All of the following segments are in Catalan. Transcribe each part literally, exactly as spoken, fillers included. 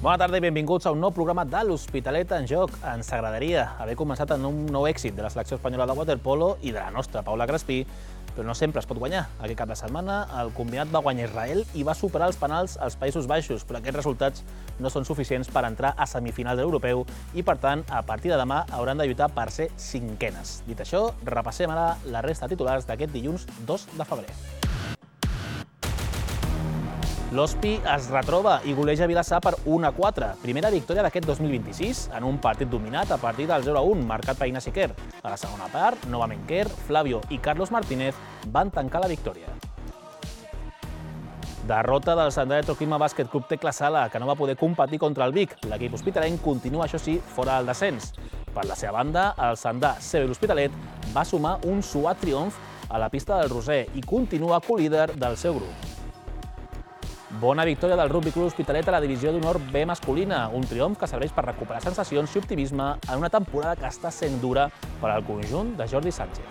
Bona tarda i benvinguts a un nou programa de l'Hospitalet en Joc. Ens agradaria haver començat en un nou èxit de la selecció espanyola de waterpolo i de la nostra, Paula Crespí, però no sempre es pot guanyar. Aquest cap de setmana el combinat va guanyar Israel i va superar els penals als Països Baixos, però aquests resultats no són suficients per entrar a semifinals de l'europeu i, per tant, a partir de demà hauran de lluitar per ser cinquenes. Dit això, repassem ara la resta de titulars d'aquest dilluns dos de febrer. L'Hospi es retroba i goleja Vilassar per un a quatre. Primera victòria d'aquest dos mil vint-i-sis en un partit dominat a partir del zero a un, marcat per Ignasi Quer. A la segona part, novament Quer, Flavio i Carlos Martínez van tancar la victòria. Derrota del Sandà Electroclima Bàsquet Club Tecla Sala, que no va poder competir contra el Vic. L'equip hospitalenc continua, això sí, fora del descens. Per la seva banda, el Sandà C B l'Hospitalet va sumar un suat triomf a la pista del Roser i continua co-líder del seu grup. Bona victòria del Rugby Club Hospitalet a la divisió d'honor B masculina, un triomf que serveix per recuperar sensacions i optimisme en una temporada que està sent dura per al conjunt de Jordi Sánchez.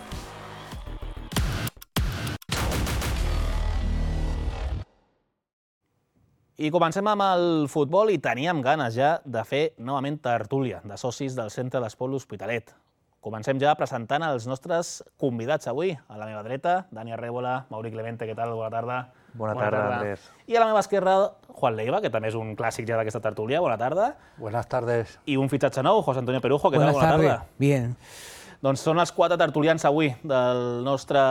I comencem amb el futbol i teníem ganes ja de fer novament tertúlia de socis del Centre d'Esport L'Hospitalet. Comencem ja presentant els nostres convidats avui. A la meva dreta, Dani Arrébola, Mauri Clemente, què tal? Bona tarda. Bona tarda, Andrés. I a la meva esquerra, Juan Leiva, que també és un clàssic ja d'aquesta tertúlia. Bona tarda. Buenas tardes. I un fitxatge nou, José Antonio Perujo, què tal? Bona tarda. Bien. Doncs són els quatre tertulians avui del nostre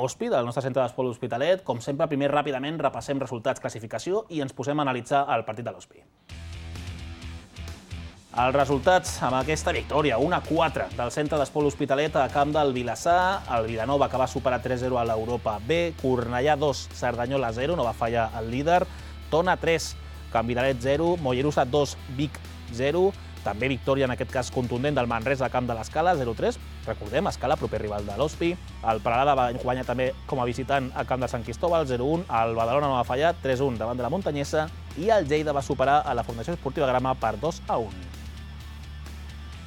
Hospi, del nostre Centre d'Esport L'Hospitalet. Com sempre, primer ràpidament repassem resultats, classificació i ens posem a analitzar el partit de l'Hospi. Els resultats amb aquesta victòria, un a quatre del Centre d'Esport L'Hospitalet a camp del Vilassar, el Vilanova que va superar tres a zero a l'Europa B, Cornellà dos, Cerdanyola zero, no va fallar el líder, Tona tres, Can Vidalet zero, Mollerussa dos, Vic zero, també victòria en aquest cas contundent del Manresa a camp de l'Escala, zero a tres, recordem, Escala, proper rival de l'Hospi, el Peralada va guanyar també com a visitant a camp de Sant Cristóbal, zero a un, el Badalona no va fallar, tres a un davant de la Muntanyesa i el Lleida va superar a la Fundació Esportiva Grama per dos a un.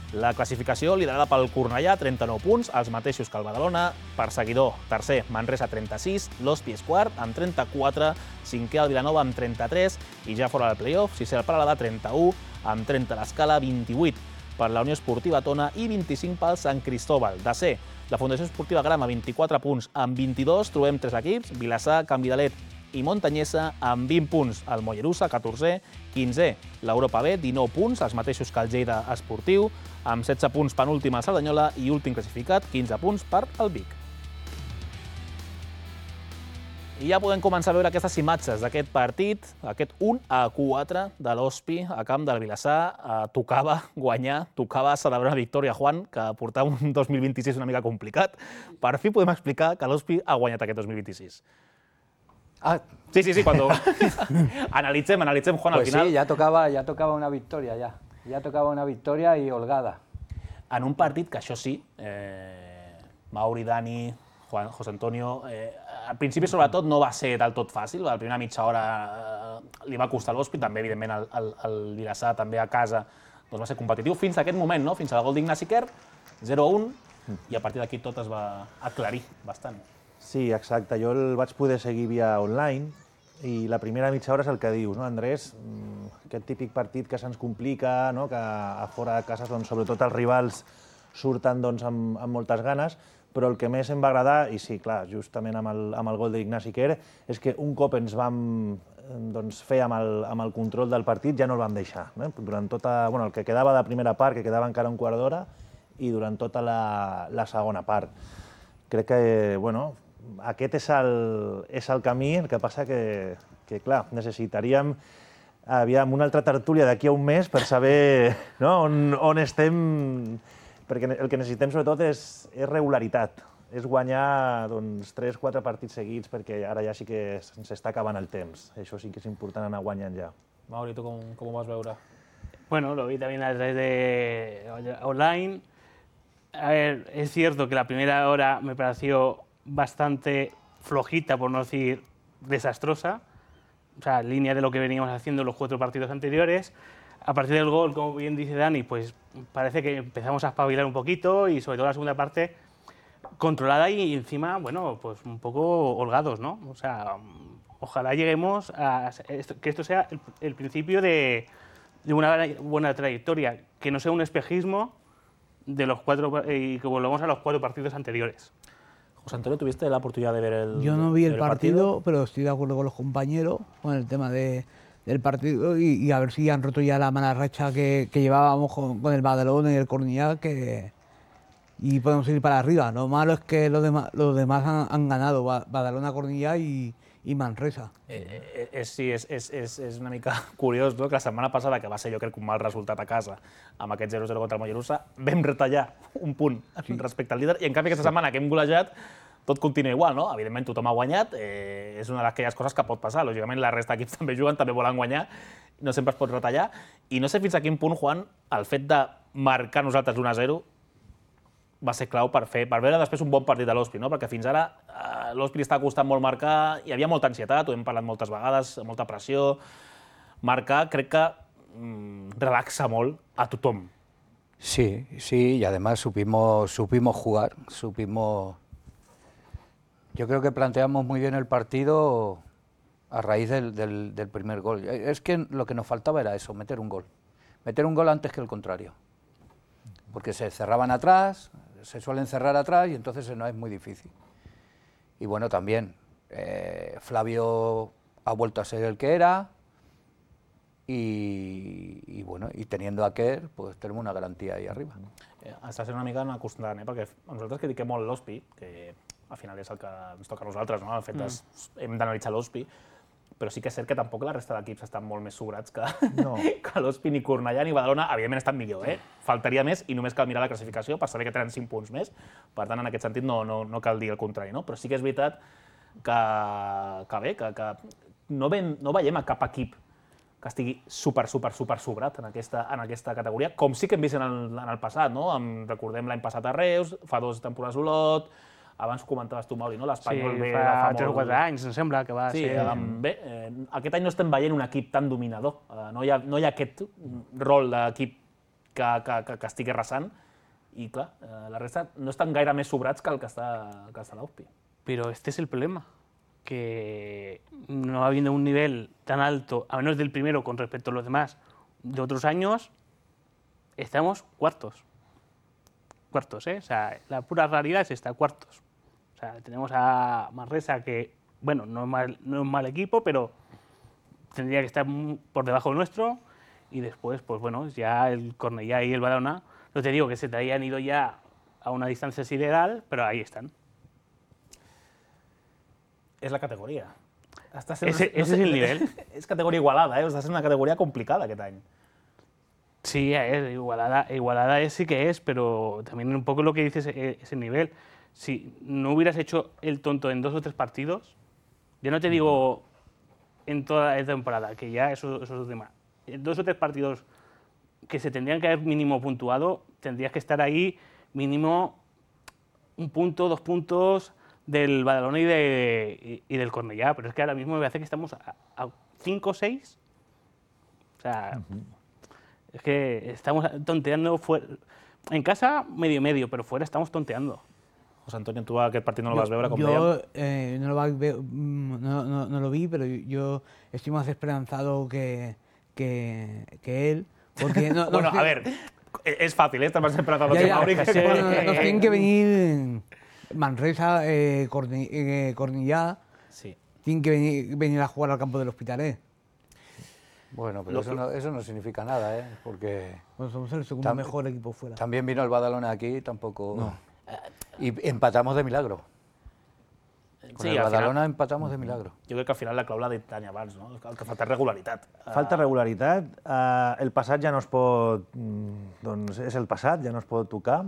La classificació liderada pel Cornellà, trenta-nou punts, els mateixos que el Badalona. Perseguidor, tercer, Manresa, trenta-sis, l'Hospi és quart, amb trenta-quatre, cinquè el Vilanova amb trenta-tres, i ja fora del play-off, sisè el Peralada, trenta-u, amb trenta l'Escala, vint-i-vuit per la Unió Esportiva Tona i vint-i-cinc pel Sant Cristóbal. Desè, la Fundació Esportiva Grama, vint-i-quatre punts, amb vint-i-dos, trobem tres equips, Vilassar, Can Vidalet i Muntanyesa, amb vint punts, el Mollerussa, catorzè, quinzè, l'Europa B, dinou punts, els mateixos que el Lleida Esportiu, amb setze punts penúltim el Cerdanyola i últim classificat, quinze punts per el Vic. I ja podem començar a veure aquestes imatges d'aquest partit, aquest un a quatre de l'Hospi a camp del Vilassar. Tocava guanyar, tocava celebrar una victòria, Juan, que portava un dos mil vint-i-sis una mica complicat. Per fi podem explicar que l'Hospi ha guanyat aquest dos mil vint-i-sis. Ah, Sí, sí, sí, cuando analicem, analicem, Juan, al pues final. sí, ya tocaba, ya tocaba una victoria, ya. Ya tocaba una victoria y holgada. En un partit que això sí, eh, Mauri, Dani, Juan, José Antonio, eh, al principi sobretot no va ser del tot fàcil, la primera mitja hora eh, li va costar l'Hospi, també evidentment el, el, el Vilassar també a casa doncs va ser competitiu fins a aquest moment, no? Fins al gol d'Ignasi Quer, zero a un, i a partir d'aquí tot es va aclarir bastant. Sí, exacte. Jo el vaig poder seguir via online i la primera mitja hora és el que dius, no, Andrés? Aquest típic partit que se'ns complica, no? Que a fora de casa, doncs, sobretot els rivals surten doncs, amb, amb moltes ganes, però el que més em va agradar, i sí, clar, justament amb el, amb el gol d'Ignasi Quer, és que un cop ens vam doncs, fer amb el, amb el control del partit ja no el vam deixar. Eh? Durant tota, bueno, el que quedava de primera part, que quedava encara un quart d'hora, i durant tota la, la segona part. Crec que, bueno, aquest és el, és el camí, el que passa que, que clar, necessitaríem aviam, una altra tertúlia d'aquí a un mes per saber no, on, on estem, perquè el que necessitem sobretot és, és regularitat, és guanyar doncs, tres o quatre partits seguits, perquè ara ja sí que s'està acabant el temps. Això sí que és important anar guanyant ja. Mauri, tu com, com ho vas veure? Bueno, lo vi también a través de online. A ver, es cierto que la primera hora me pareció bastante flojita, por no decir desastrosa, o sea, en línea de lo que veníamos haciendo en los cuatro partidos anteriores. A partir del gol, como bien dice Dani, pues parece que empezamos a espabilar un poquito y sobre todo la segunda parte controlada y encima, bueno, pues un poco holgados, ¿no? O sea, ojalá lleguemos a esto, que esto sea el, el principio de, de una buena trayectoria, que no sea un espejismo de los cuatro y que volvamos a los cuatro partidos anteriores. José Antonio, ¿tuviste la oportunidad de ver el Yo no vi el el partido, pero estoy de acuerdo con los compañeros con el tema de, del partido y, y a ver si han roto ya la mala racha que, que llevábamos con, con el Badalona y el Cornellá, que y podemos ir para arriba. Lo malo es que los demás, los demás han, han ganado, Badalona, Cornellá i, i Manresa. Eh, eh, eh, sí, és, és, és, és una mica curiós, no? Que la setmana passada, que va ser jo crec un mal resultat a casa, amb aquest zero zero contra el Mollerussa, vam retallar un punt sí. respecte al líder, i en canvi aquesta sí. setmana que hem golejat, tot continua igual, no? Evidentment tothom ha guanyat, eh, és una d'aquelles coses que pot passar, lògicament la resta d'equips també juguen, també volen guanyar, no sempre es pot retallar, i no sé fins a quin punt, Juan, el fet de marcar nosaltres l'u a zero va ser clau per fer, per veure després un bon partit de l'Ospi, no? Perquè fins ara eh, l'Ospi li està costant molt marcar, hi havia molta ansietat, ho hem parlat moltes vegades, molta pressió. Marcar crec que mm, relaxa molt a tothom. Sí, sí, y además supimos, supimos jugar, supimos... Yo creo que planteamos muy bien el partido a raíz del, del, del primer gol. Es que lo que nos faltaba era eso, meter un gol. Meter un gol antes que el contrario. Porque se cerraban atrás, se suelen cerrar atrás y entonces no es muy difícil. Y bueno, también eh, Flavio ha vuelto a ser el que era y, y bueno, y teniendo a Kerr, pues tenemos una garantía ahí arriba. Eh, està sent una mica una acostant, eh? Perquè nosaltres critiquem molt l'Ospi, que al final és el que ens toca a nosaltres, no? El fet mm. de, hem d'analitzar l'Ospi, però sí que és cert que tampoc la resta d'equips estan molt més sobrats que, no. que l'Ospi, ni Cornellà ni Badalona. Evidentment estan millor, eh? Faltaria més i només cal mirar la classificació per saber que tenen cinc punts més. Per tant, en aquest sentit no, no, no cal dir el contrari, no? Però sí que és veritat que, que bé, que, que no, ven, no veiem a cap equip que estigui super, super, super sobrat en aquesta, en aquesta categoria, com sí que hem vist en el, en el passat, no? Em, recordem l'any passat a Reus, fa dues temporades Olot, abans comentaves tu, Mauri, no? L'Espanyol sí, ve fa, fa fa tres o molt... quatre anys, em sembla que va sí, ser... Sí, bé, eh, aquest any no estem veient un equip tan dominador. Eh, no, hi ha, no hi ha aquest rol d'equip que, que, que, que estigui arrasant i, clar, eh, la resta no estan gaire més sobrats que el que està, que està l'Ospi. Pero este es el problema, que no habiendo un nivel tan alto, a menos del primero con respecto a los demás, de otros años, estamos cuartos. Cuartos, ¿eh? O sea, la pura realidad es esta, cuartos. O sea, tenemos a Manresa que, bueno, no es mal, no es mal equipo, pero tendría que estar por debajo nuestro. Y después, pues bueno, ya el Cornellá y el Badalona, no te digo que se te hayan ido ya a una distancia sideral, pero ahí están. És la categoria. Està sent, ese, no ese sé, es el nivel. És categoria igualada, eh? Està sent una categoria complicada aquest any. Sí, es, igualada, igualada es, sí que es, pero también un poco lo que dices es el nivel. Si no hubieras hecho el tonto en dos o tres partidos, yo no te digo en toda la temporada, que ya eso, eso es tema. En dos o tres partidos que se tendrían que haber mínimo puntuado, tendrías que estar ahí mínimo un punto, dos puntos del Badalona y, de, y, y del Cornellá, pero es que ahora mismo me parece que estamos a, a cinco o seis. O sea, uh-huh. Es que estamos tonteando fuera. En casa medio medio, pero fuera estamos tonteando. José Antonio, tu aquest partit no el yo, vas veure, com yo, dèiem? Eh, no, lo va, no, no, no lo vi, pero yo estoy más esperanzado que, que, que él. Porque no, no, bueno, a ver, es fácil, ¿eh? Estás más esperanzado ya, que ya, Mauri. Que sí, bueno, nos tienen que venir Manresa, eh, Corni, eh, Cornellá, sí. Tienen que venir, venir a jugar al campo del Hospitalet. Bueno, pero eso no, eso no significa nada, ¿eh? Porque... Bueno, somos el segundo mejor equipo fuera. También vino el Badalona aquí, tampoco... No. Y empatamos de milagro. Con sí, el Badalona final, empatamos de milagro. Jo crec que al final la clau l'ha dit Tani abans, no? El que falta és regularitat. Falta regularitat. Uh, el passat ja no es pot... Doncs és el passat, ja no es pot tocar.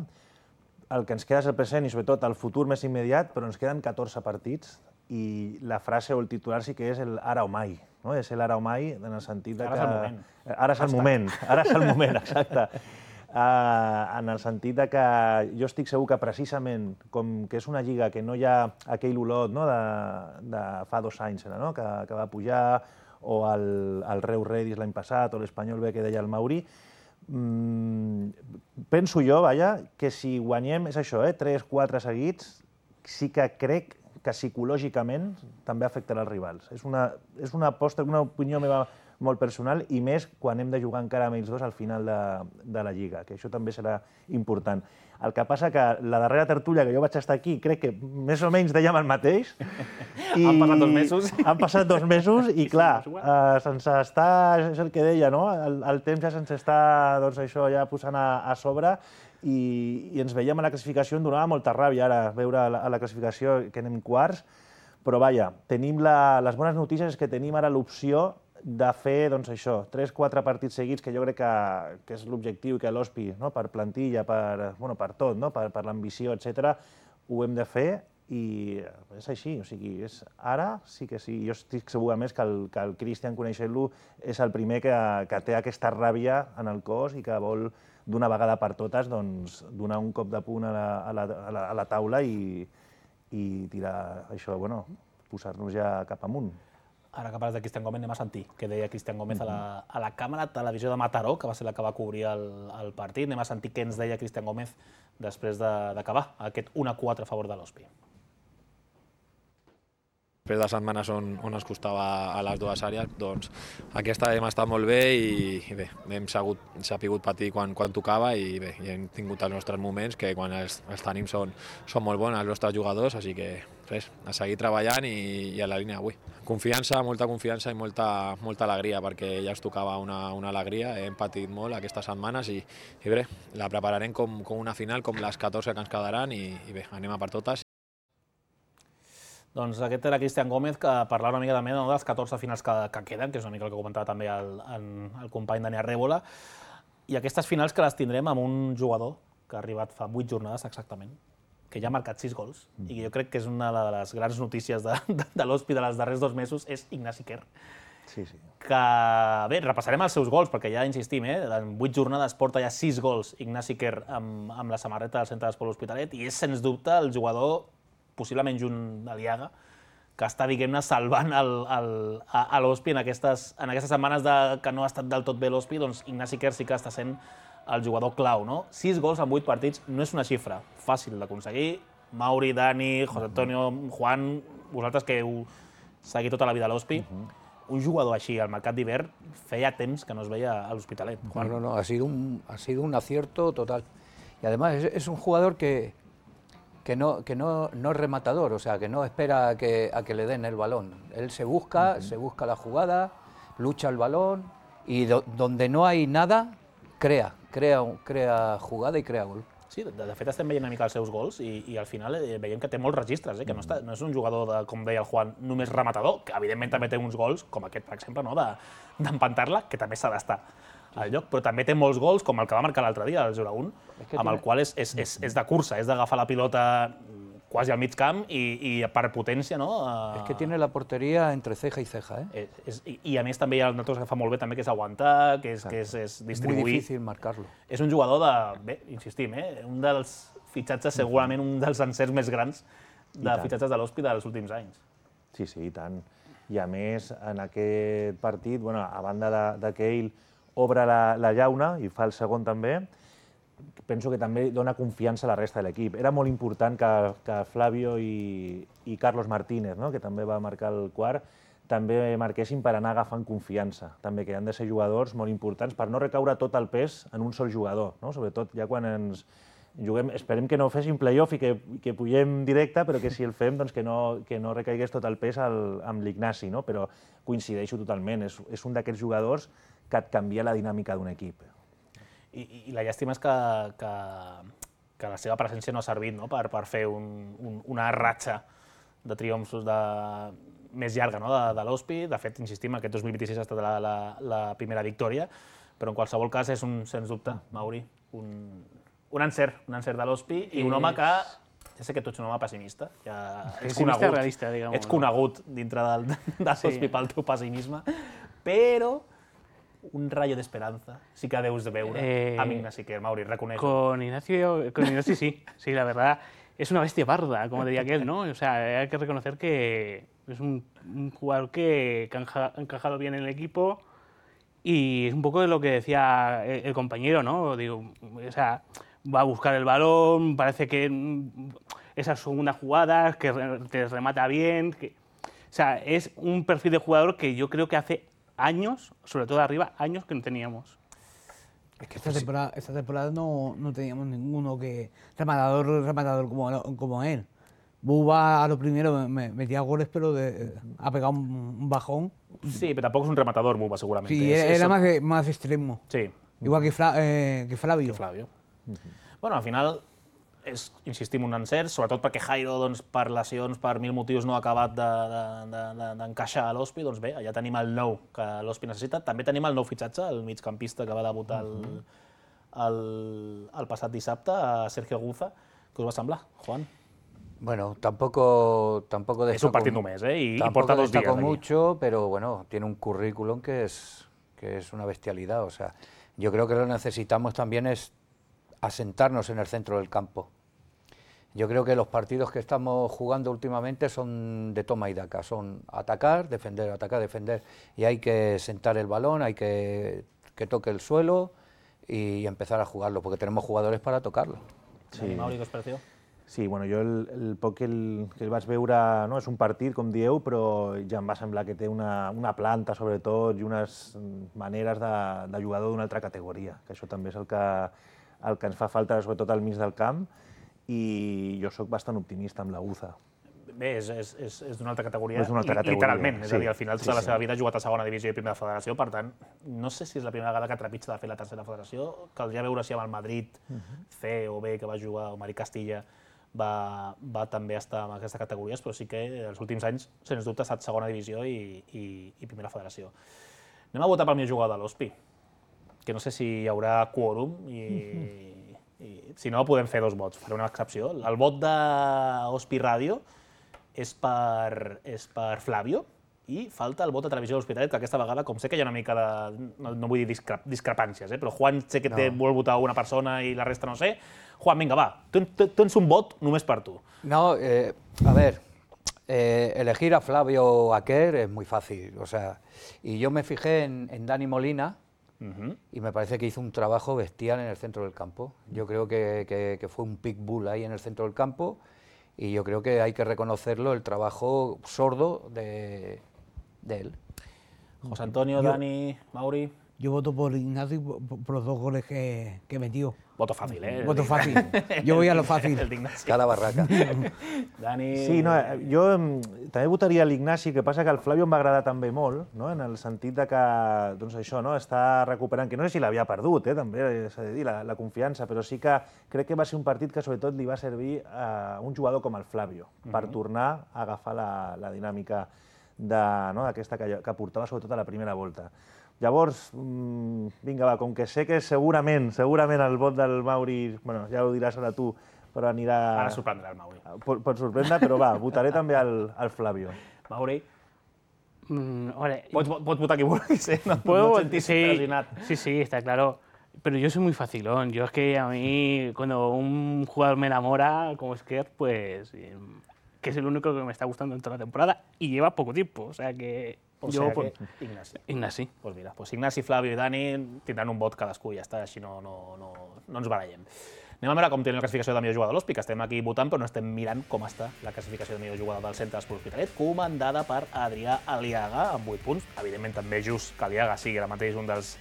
El que ens queda és el present i sobretot el futur més immediat, però ens queden catorze partits i la frase o el titular sí que és el ara o mai. No? És el ara o mai en el sentit de que... Ara és el moment. Ara és el moment, ara és el moment, exacte. Uh, en el sentit de que jo estic segur que precisament com que és una lliga que no hi ha aquell olot, no, de, de fa dos anys, no, que, que va pujar, o el, el Reus Redis l'any passat, o l'Espanyol B que deia el Mauri, mm, penso jo, vaja, que si guanyem, és això, eh, tres quatre seguits, sí que crec que psicològicament també afectarà els rivals. És una, és una aposta, una opinió meva molt personal, i més quan hem de jugar encara amb ells dos al final de, de la Lliga, que això també serà important. El que passa que la darrera tertúlia que jo vaig estar aquí, crec que més o menys dèiem el mateix. I han passat dos mesos. Han passat dos mesos i, clar, eh, se'ns està, és el que deia, no? El, el temps ja se'ns està, doncs, això ja posant a, a sobre i, i ens veiem a la classificació, em donava molta ràbia ara veure a la, a la classificació que anem quarts, però, vaja, tenim la, les bones notícies és que tenim ara l'opció de fer, doncs, això, tres quatre partits seguits, que jo crec que, que és l'objectiu i que l'Hospi, no?, per plantilla, per, bueno, per tot, no?, per, per l'ambició, etcètera, ho hem de fer i és així, o sigui, és, ara sí que sí. Jo estic segur, a més, que el, que el Cristian, coneixent-lo, és el primer que, que té aquesta ràbia en el cos i que vol, d'una vegada per totes, doncs, donar un cop de punt a la, a la, a la, a la taula i, i tirar això, bueno, posar-nos ja cap amunt. Ara que parles de Cristian Gómez, anem a sentir què deia Cristian Gómez a la, a la càmera de televisió de Mataró, que va ser la que va cobrir el, el partit. Anem a sentir què ens deia Cristian Gómez després d'acabar aquest un a quatre a favor de l'Hospi. Després de setmanes on, on ens costava a les dues àrees, doncs aquesta hem estat molt bé i, i bé, hem sabut, sapigut patir quan, quan tocava i bé, i hem tingut els nostres moments que quan els, els tenim són, són molt bons els nostres jugadors, així que res, a seguir treballant i, i a la línia avui. Confiança, molta confiança i molta, molta alegria, perquè ja ens tocava una, una alegria, hem patit molt aquestes setmanes i, i bé, la prepararem com, com una final, com les catorze que ens quedaran i, i bé, anem a per totes. Doncs aquest era Cristian Gómez, que parlava una mica també no, de les catorze finals que, que queden, que és una mica el que comentava també el, el, el company Dani Arrébola, i aquestes finals que les tindrem amb un jugador que ha arribat fa vuit jornades exactament, que ja ha marcat sis gols, mm. i jo crec que és una de les grans notícies de, de, de l'Hospi dels darrers dos mesos, és Ignasi Quer. Sí, sí. Que, bé, repassarem els seus gols, perquè ja insistim, eh, en vuit jornades porta ja sis gols Ignasi Quer amb, amb la samarreta del Centre d'Esport L'Hospitalet, i és, sens dubte, el jugador possiblement junt a l'Iaga, que està, diguem-ne, salvant el, el, a, a l'Hospi en aquestes, en aquestes setmanes de, que no ha estat del tot bé l'Hospi, doncs Ignasi Quer sí que està sent el jugador clau, no? Sis gols en vuit partits no és una xifra fàcil d'aconseguir. Mauri, Dani, José Antonio, Juan, vosaltres que heu seguit tota la vida a l'Hospi, uh -huh. un jugador així al mercat d'hivern feia temps que no es veia a l'Hospitalet. No, no, no, ha sido un, ha sido un acierto total. Y además es, es un jugador que... que no, que no, no es rematador, o sea, que no espera a que, a que le den el balón. Él se busca, uh-huh. se busca la jugada, lucha el balón y do, donde no hay nada, crea, crea, crea jugada i crea gol. Sí, de, de fet estem veient una mica els seus gols i, i al final eh, veiem que té molts registres, eh, que no, està, no és un jugador, de, com deia el Juan, només rematador, que evidentment també té uns gols, com aquest, per exemple, no, d'empantar-la, que també s'ha d'estar al lloc, però també té molts gols, com el que va marcar l'altre dia, el zero a un, amb el qual és, és, és, és de cursa, és d'agafar la pilota quasi al mig camp i, i per potència, no? Uh... Es que tiene la portería entre ceja y ceja, eh? És, i, I a més també hi ha una cosa que fa molt bé, també, que és aguantar, que és, que és, és distribuir. Muy difícil marcarlo. És un jugador de, bé, insistim, eh? un dels fitxatges, segurament un dels encerts més grans de fitxatges de l'Hospi dels últims anys. Sí, sí, i tant. I a més, en aquest partit, bueno, a banda de, de que ell obre la, la llauna i fa el segon també, penso que també dona confiança a la resta de l'equip. Era molt important que, que Flavio i, i Carlos Martínez, no?, que també va marcar el quart, també marquessin per anar agafant confiança. També que han de ser jugadors molt importants per no recaure tot el pes en un sol jugador, no? Sobretot ja quan ens juguem, esperem que no fessin play-off i que, que pugem directe, però que si el fem, doncs que no, que no recaigués tot el pes al, amb l'Ignasi, no? Però coincideixo totalment, és, és un d'aquests jugadors que et canvia la dinàmica d'un equip. I, i la llàstima és que, que, que la seva presència no ha servit, no?, per, per fer un, un, una ratxa de triomfos de, més llarga, no?, de, de l'Hospi. De fet, insistim, aquest dos mil vint-i-sis ha estat la, la, la primera victòria, però en qualsevol cas és un, sens dubte, Mauri, un, un encert, un encert de l'Hospi i un home que... Ja sé que tu ets un home pessimista, ja ets conegut, realista, diguem-ho. ets conegut dintre del, de l'Hospi pel teu pessimisme, però un rayo de esperanza sí que deus de veure eh, amb Ignasi Quer, Mauri, reconeixo. Con Ignacio, con Ignacio sí, sí, la verdad, es una bestia parda, como diría aquel, ¿no? O sea, hay que reconocer que es un, un jugador que, que ha encajado bien en el equipo y es un poco de lo que decía el, el compañero, ¿no? Digo, o sea, va a buscar el balón, parece que esas segundas jugadas, que te remata bien, que, o sea, es un perfil de jugador que yo creo que hace años, sobre todo arriba, años que no teníamos. Es que esta temporada, esta temporada no, no teníamos ninguno que rematador, rematador como, como él. Buba a lo primero me, metía goles, pero de, ha pegado un, un bajón. Sí, pero tampoco es un rematador, Buba, seguramente. Sí, es, era, es... era más, de, más extremo. Sí. Igual que, Fla, eh, que Flavio. Que Flavio. Uh -huh. Bueno, al final, és, insistim, un encert, sobretot perquè Jairo, doncs, per lesions, per mil motius, no ha acabat d'encaixar de, de, de, a l'Hospi. Doncs bé, allà tenim el nou que l'Hospi necessita. També tenim el nou fitxatge, el migcampista que va debutar el, uh -huh. el, el passat dissabte, a Sergio Guza. Què us va semblar, Juan? Bueno, tampoco, tampoco es un partido mes, ¿eh? Y, tampoco y porta dos días destacó mucho, pero bueno, tiene un currículum que es, que es una bestialidad. O sea, yo creo que lo que necesitamos también es asentarnos en el centro del campo. Yo creo que los partidos que estamos jugando últimamente son de toma y daca, son atacar, defender, atacar, defender, y hay que sentar el balón, hay que que toque el suelo y empezar a jugarlo, porque tenemos jugadores para tocarlo. Sí. Mauri, què us pareció? Sí, bueno, jo el, el poc que el, que el vaig veure, no, és un partit, com dieu, però ja em va semblar que té una, una planta, sobretot, i unes maneres de, de jugador d'una altra categoria, que això també és el que, el que ens fa falta, sobretot al mig del camp, i jo sóc bastant optimista amb la Guza. Bé, és, és, és, és d'una altra categoria, és una altra categoria, literalment. Sí, és a dir, al final sí, tota la sí. seva vida ha jugat a segona divisió i primera federació, per tant, no sé si és la primera vegada que trepitja de fer la tercera federació, caldria veure si amb el Madrid, uh -huh. C o B, que va jugar, o Mari Castilla, va, va també estar en aquestes categories, però sí que els últims anys, sens dubte, ha estat segona divisió i, i, i primera federació. Anem a votar pel millor jugador de l'Hospi, que no sé si hi haurà quòrum i, i si no podem fer dos vots, faré una excepció. El vot d'Hospi Ràdio és per, és per Flavio i falta el vot de Televisió de l'Hospitalet, que aquesta vegada, com sé que hi ha una mica de, no, no vull dir discre, discrepàncies, eh, però Juan sé que té, no. vol votar una persona i la resta no sé. Juan, venga, va, tens un vot només per tu. No, eh, a ver, eh, elegir a Flavio o a Kerr es muy fácil, o sea, y yo me fijé en, en Dani Molina uh-huh. y me parece que hizo un trabajo bestial en el centro del campo. Yo creo que, que, que fue un pitbull ahí en el centro del campo y yo creo que hay que reconocerlo, el trabajo sordo de, de él. José Antonio, yo, Dani, Mauri. Yo voto por Ignacio por, por los dos goles que, que metió. Voto fàcil, eh? Voto fàcil. Jo voy a lo fàcil. Cada barraca. Dani... Sí, no, jo també votaria l'Ignasi, que passa que el Flavio em va agradar també molt, no? En el sentit de que, doncs això, no? Està recuperant, que no sé si l'havia perdut, eh? També s'ha de dir, la, la confiança, però sí que crec que va ser un partit que sobretot li va servir a un jugador com el Flavio, per uh-huh. tornar a agafar la, la dinàmica d'aquesta no? que, que portava sobretot a la primera volta. Llavors, mmm, vinga, va, com que sé que segurament, segurament el vot del Mauri, bueno, ja ho diràs ara tu, però anirà... Ara sorprendrà el Mauri. Pot, pot sorprendre, però va, votaré també al, al Flavio. Mauri? Mm, vale. Pots, pots votar qui vulguis, ¿eh? No, ¿Puedo? no sentir sí, sí, sí, está claro. Pero yo soy muy facilón. Yo es que a mí, cuando un jugador me enamora, como es que, pues... que es el único que me está gustando en toda la temporada y lleva poco tiempo, o sea que... O jo, sea pues, que Ignasi. Ignasi. Pues mira, pues Ignasi, Flavio i Dani tindran un vot cadascú i ja està, així no, no, no, no ens barallem. Anem a veure com té la classificació de millor jugador de l'Hospi, que estem aquí votant, però no estem mirant com està la classificació de millor jugador del Centre d'Esports L'Hospitalet, comandada per Adrià Aliaga, amb vuit punts. Evidentment també just que Aliaga sigui ara mateix un dels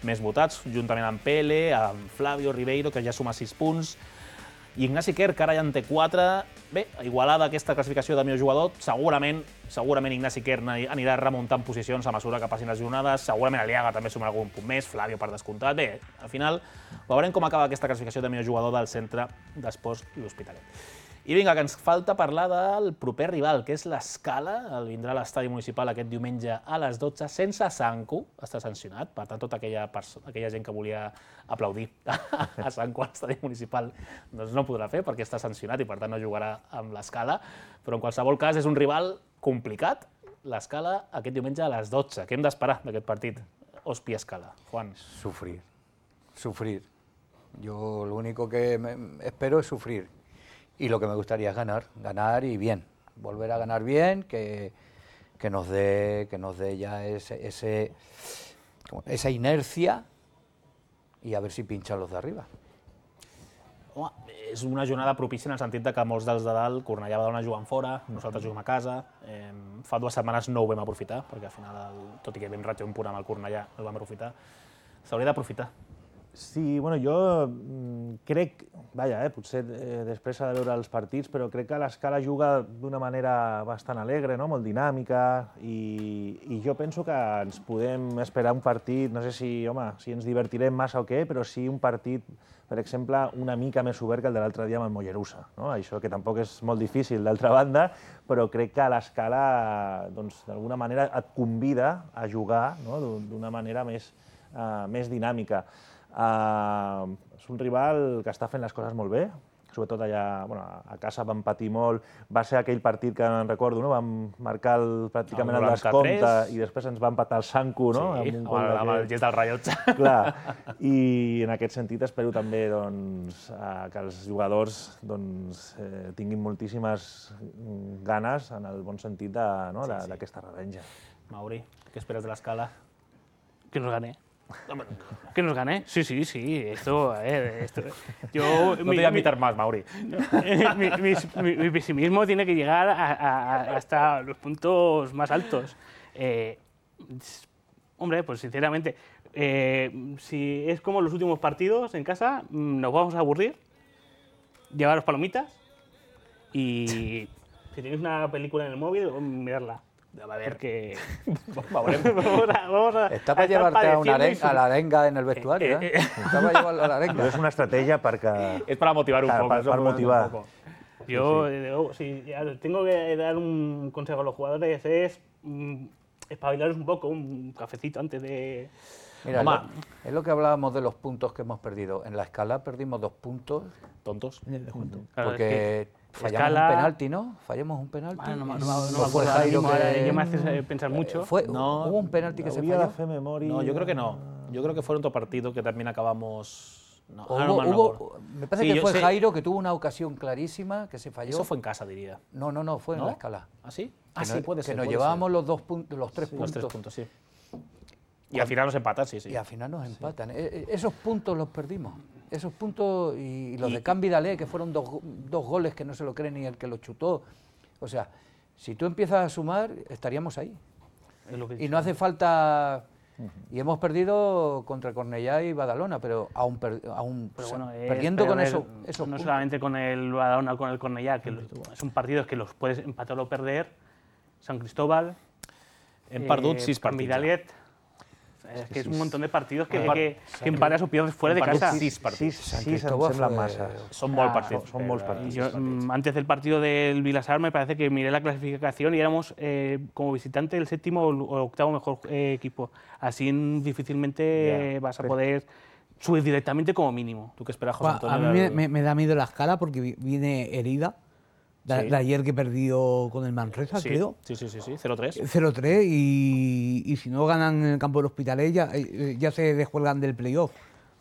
més votats, juntament amb Pele, amb Flavio Ribeiro, que ja suma sis punts, i Ignasi Kerr, que ara ja en té quatre. Bé, igualada aquesta classificació de millor jugador, segurament, segurament Ignasi Kerr anirà remuntant posicions a mesura que passin les jornades, segurament Aliaga també sumarà algun punt més, Flavio per descomptat. Bé, al final veurem com acaba aquesta classificació de millor jugador del Centre d'Esports L'Hospitalet. I vinga, que ens falta parlar del proper rival, que és l'Escala. El vindrà a l'estadi municipal aquest diumenge a les dotze, sense Sanco, està sancionat. Per tant, tota aquella, aquella gent que volia aplaudir a Sanco a l'estadi municipal doncs no podrà fer perquè està sancionat i per tant no jugarà amb l'Escala. Però en qualsevol cas és un rival complicat, l'Escala aquest diumenge a les dotze. Què hem d'esperar d'aquest partit? Hospi-Escala. Juan. Sufrir, sufrir. Yo lo único que me espero es sufrir. Y lo que me gustaría es ganar, ganar y bien, volver a ganar bien, que, que nos dé que nos dé ya ese, ese, esa inercia y a ver si pinchan los de arriba. Home, és una jornada propícia en el sentit de que molts dels de dalt, Cornellà va donar jugant fora, nosaltres juguem a casa, eh, fa dues setmanes no ho vam aprofitar, perquè al final, el, tot i que vam ratxar un punt amb el Cornellà, no ho vam aprofitar. S'hauria d'aprofitar. Sí, bueno, jo crec, vaja, eh, potser eh, després s'ha de veure els partits, però crec que l'Escala juga d'una manera bastant alegre, no? Molt dinàmica, i, i jo penso que ens podem esperar un partit, no sé si, home, si ens divertirem massa o què, però sí un partit, per exemple, una mica més obert que el de l'altre dia amb el Mollerussa, no? Això que tampoc és molt difícil, d'altra banda, però crec que l'Escala, doncs, d'alguna manera et convida a jugar, no? D'una manera més, uh, més dinàmica. Uh, és un rival que està fent les coses molt bé, sobretot allà, bueno, a casa vam patir molt, va ser aquell partit que en recordo, no? Vam marcar el, pràcticament el, el descompte i després ens va empatar el Sanku, no? Sí, amb, un amb, amb el gest del rellotge. Clar, i en aquest sentit espero també doncs, que els jugadors doncs, eh, tinguin moltíssimes ganes, en el bon sentit d'aquesta no? sí, sí. revenja. Mauri, què esperes de l'Escala? Que nos gane. Que nos gane. Sí, sí, sí. Esto, a ver, esto. Yo, no mi, te voy a imitar más, Mauri. No, mi, mi, mi, mi pesimismo tiene que llegar a, a, hasta los puntos más altos. Eh, hombre, pues sinceramente, eh, si es como los últimos partidos en casa, nos vamos a aburrir, llevaros palomitas y si tenéis una película en el móvil, mirarla. A ver, que vamos a, vamos a, Está para llevarte a, una arenga, a la arenga en el vestuario, ¿eh? Está para llevarlo a la arenga. No es una estrategia para... Es para motivar un claro, poco. Para, para motivar. Un poco. Yo, sí, sí. Si tengo que dar un consejo a los jugadores, es mm, espabilaros un poco, un cafecito antes de... Mira, es lo, es lo que hablábamos de los puntos que hemos perdido. En la Escala perdimos dos puntos. Tontos. Porque... Fallamos Escala... un penalti, ¿no? Fallamos un penalti. Ah, no, no, no, no, no fue Jairo que... que me hace pensar mucho. Fue, no, hubo un penalti que se falló. No, yo creo que no. Yo creo que fue otro partido que también acabamos... No, hubo, no, no, hubo, me parece sí, que fue sé. Jairo que tuvo una ocasión clarísima que se falló. Eso fue en casa, diría. No, no, no, fue ¿No? en la Escala. ¿Ah, sí? Ah, que sí, no, puede que ser. nos puede llevábamos ser. los dos puntos, los tres sí, puntos. Los tres puntos, sí. Y al final nos empatan, sí, sí. Y al final nos empatan. Sí. Esos puntos los perdimos. Esos puntos y los y, de Can Vidalé, que fueron dos, dos goles que no se lo cree ni el que lo chutó. O sea, si tú empiezas a sumar, estaríamos ahí. Es lo que y no hace falta... Uh-huh. Y hemos perdido contra Cornellá y Badalona, pero aún, per, aún pero bueno, es, perdiendo con ver, eso, esos no puntos. Solamente con el Badalona o con el Cornellá, que son partidos que los puedes empatar o perder. San Cristóbal, hem eh, perdut sis partits. Vidalet, es que es un montón de partidos que, que, que empatas o pierdes fuera de casa. Sis partits. Sí, sí, sí, em sembla massa. Són molt partits. Son molts partits. Yo, antes del partido del Vilasar me parece que miré la clasificación y éramos eh, como visitante el séptimo o octavo mejor eh, equipo. Así difícilmente yeah. vas a poder subir directamente como mínimo. ¿Tú qué esperas, José Antonio? A mí me, me, me da miedo la Escala porque viene herida. De, sí. de ayer que perdió con el Manresa, sí. creo. Sí, sí, sí, sí, cero tres. cero tres y, y si no ganan en el campo del Hospitalet ya, ya se descuelgan del playoff.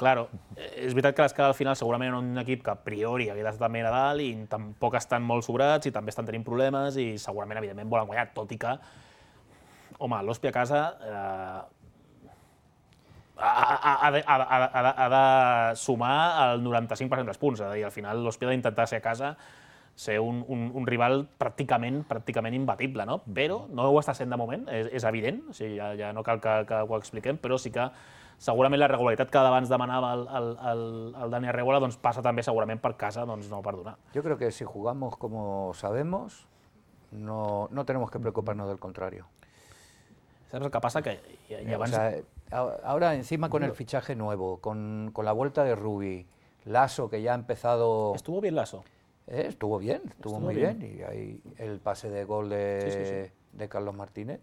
Claro, és veritat que l'Escala al final segurament un equip que a priori havia d'estar també a dalt i tampoc estan molt sobrats i també estan tenint problemes i segurament, evidentment, volen guanyar, tot i que, home, l'Hospi a casa eh, ha, ha, ha, de, ha, ha, ha de sumar el noranta-cinc per cent dels punts, és a dir, al final l'Hospi ha d'intentar ser a casa ser un, un, un rival pràcticament, pràcticament imbatible, no? Però no ho està sent de moment, és, és evident, o sigui, ja, ja no cal que, que ho expliquem, però sí que segurament la regularitat que abans demanava el, el, el, el Dani Arreguala doncs passa també segurament per casa, doncs no per donar. Yo creo que si jugamos como sabemos, no, no tenemos que preocuparnos del contrario. ¿Sabes lo que pasa? Que y, y abans... o sea, ahora encima con el fichaje nuevo, con, con la vuelta de Rubi, Lasso que ya ha empezado... ¿Estuvo bien Lasso? Eh, estuvo bien, estuvo, estuvo muy bien. bien. Y ahí el pase de gol de, sí, sí, sí. de Carlos Martínez.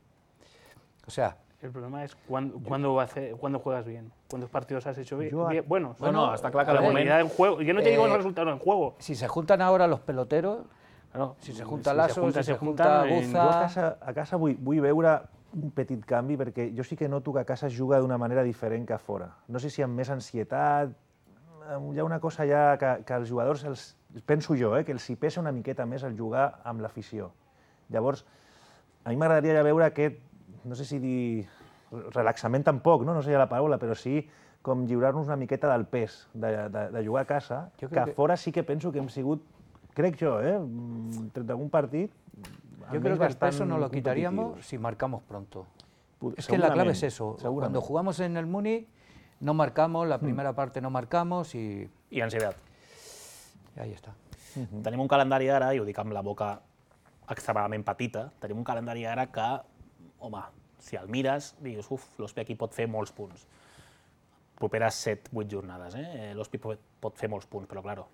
O sea... El problema es cuándo, cuándo, hace, cuándo juegas bien, cuántos partidos has hecho bien, yo, bien buenos. Bueno, no, está claro que la momento calidad del juego. Yo no te eh, digo el resultado en juego. Si se juntan ahora los peloteros, claro, si se junta si Lasso, se junta, si se, se junta junta Guza... Jo a casa, a casa vull, vull veure un petit canvi perquè jo sí que noto que a casa es juga d'una manera diferent que a fora. No sé si amb més ansietat, hi ha una cosa ja que, que els jugadors, els, penso jo, eh, que els hi pesa una miqueta més el jugar amb l'afició. Llavors, a mi m'agradaria ja veure aquest, no sé si dir relaxament tampoc, no, no sé la paraula, però sí com lliurar-nos una miqueta del pes de, de, de jugar a casa, que a fora sí que penso que hem sigut, crec jo, eh, tret d'algun partit, Yo creo que el peso no lo quitaríamos si marcamos pronto. Es que la clave es eso. Cuando jugamos en el Muni no marcamos, la primera parte no marcamos i... I ansietat. I ahí està. Tenim un calendari ara, i ho dic amb la boca extremadament petita, tenim un calendari ara que, home, si el mires, digues, uf, l'O S P aquí pot fer molts punts. Properes set vuit jornades, eh? L'O S P pot fer molts punts, però, claro,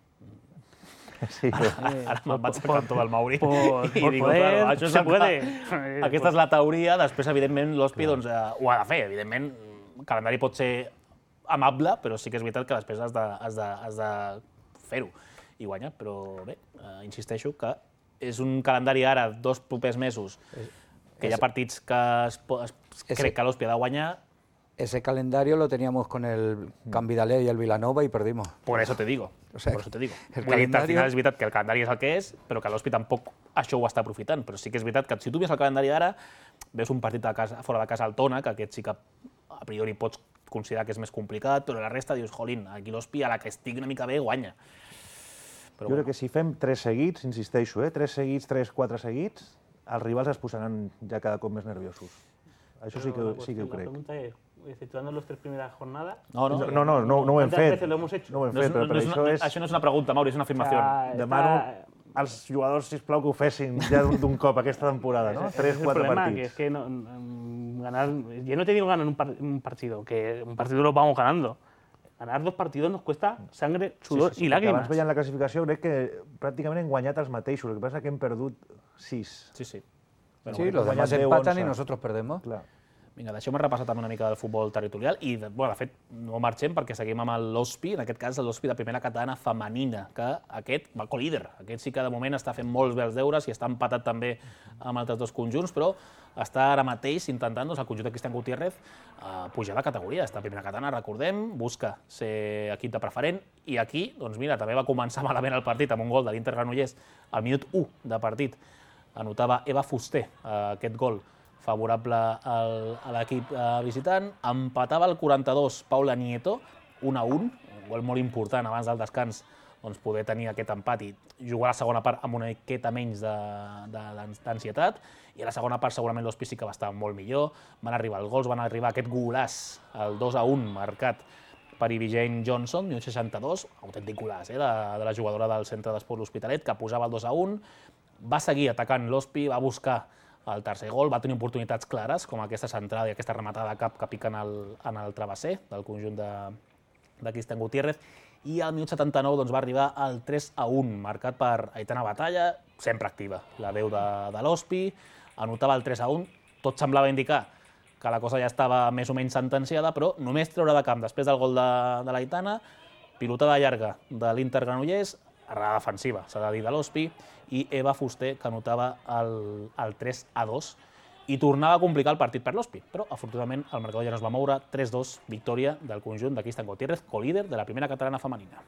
Sí, ara me'n vaig al cantó del Mauri Por, i por digo, poder, claro, això és se el que- puede. Aquesta és la teoria, després, evidentment, l'O S P doncs, eh, ho ha de fer. Evidentment, el calendari pot ser amable, però sí que és veritat que després has de, has de, has de fer-ho i guanyar. Però bé, eh, insisteixo que és un calendari ara, dos propers mesos, que hi ha partits que es, po- es, crec que l'O S P ha de guanyar. Ese calendario lo teníamos con el Cambidalet y el Vilanova y perdimos. Por eso te digo. O sea, por eso te digo. el Vull dir, al calendario- final és veritat que el calendari és el que és, però que l'O S P tampoc això ho està aprofitant. Però sí que és veritat que si tu ves el calendari ara, veus un partit de casa, fora de casa al Tona, que aquest sí que a priori pots considerar que és més complicat, però la resta dius, jolín, aquí l'O S P a la que estigui una mica bé guanya. Però Jo crec que si fem tres seguits, insisteixo, eh? tres seguits, tres, quatre seguits, els rivals es posaran ja cada cop més nerviosos. Això sí que, sí que ho La crec. pregunta es, exceptuando las tres primeras jornadas, No, no, No, no, no, no ho hem ¿cuántas fet. veces lo hemos hecho? No ho hem no és, fet, però no per és això una, és... això no és una pregunta, Mauri, és una afirmació. Ah, Demano está- als jugadors, sisplau, que ho fessin ja d'un d'un cop aquesta temporada, no? Ese Tres, es el quatre problema, que partits. es que no, mm, ganar, yo no te digo ganar un, par- un partido, que un partido lo vamos ganando. Ganar dos partidos nos cuesta sangre, sudor Sí, sí, sí, y perquè lágrimas. Abans veient la classificació, crec que pràcticament hem guanyat els mateixos, el que passa és que hem perdut sis. Sí, sí. Sí, los guanyat demás deu, empatan y onze. nosotros perdemos. Clar. Vinga, deixeu-me repassar també una mica del futbol territorial i, de, bueno, de fet, no marxem perquè seguim amb l'O S P, en aquest cas l'O S P de primera catalana femenina, que aquest va co-líder. Aquest sí que de moment està fent molts bé els deures i està empatat també amb altres dos conjunts, però està ara mateix intentant, doncs, el conjunt de Cristian Gutiérrez eh, pujar de categoria. Està a primera catalana, recordem, busca ser equip de preferent i aquí, doncs mira, també va començar malament el partit amb un gol de l'Inter Granollers al minut u de partit. Anotava Eva Fuster eh, aquest gol favorable al, a l'equip eh, visitant. Empatava el quaranta-dos Paula Nieto, un a un, un gol molt important abans del descans, doncs poder tenir aquest empat i jugar a la segona part amb una miqueta menys d'ansietat. I a la segona part segurament l'O S P sí que va estar molt millor. Van arribar els gols, van arribar aquest golaç, el dos a un, marcat per Ivy Johnson, minut seixanta-dos, autèntic golaç, eh, de, de la jugadora del centre d'esport l'Hospitalet, que posava el dos a un. Va seguir atacant l'O S P, va buscar el tercer gol, va tenir oportunitats clares, com aquesta centrada i aquesta rematada de cap que pica en el, en el travesser del conjunt de, de Cristian Gutiérrez, i al minut setanta-nou doncs, va arribar el tres a un, marcat per Aitana Batalla, sempre activa, la veu de, de l'O S P, anotava el tres a un, tot semblava indicar que la cosa ja estava més o menys sentenciada, però només treure de camp després del gol de, de l'Aitana, pilotada llarga de l'Inter Granollers, errada defensiva, s'ha de dir, de l'O S P, i Eva Fuster, que anotava el, el tres a dos, i tornava a complicar el partit per l'O S P, però afortunadament el marcador ja no es va moure, tres a dos, victòria del conjunt de Cristian Gutiérrez, co-líder de la primera catalana femenina.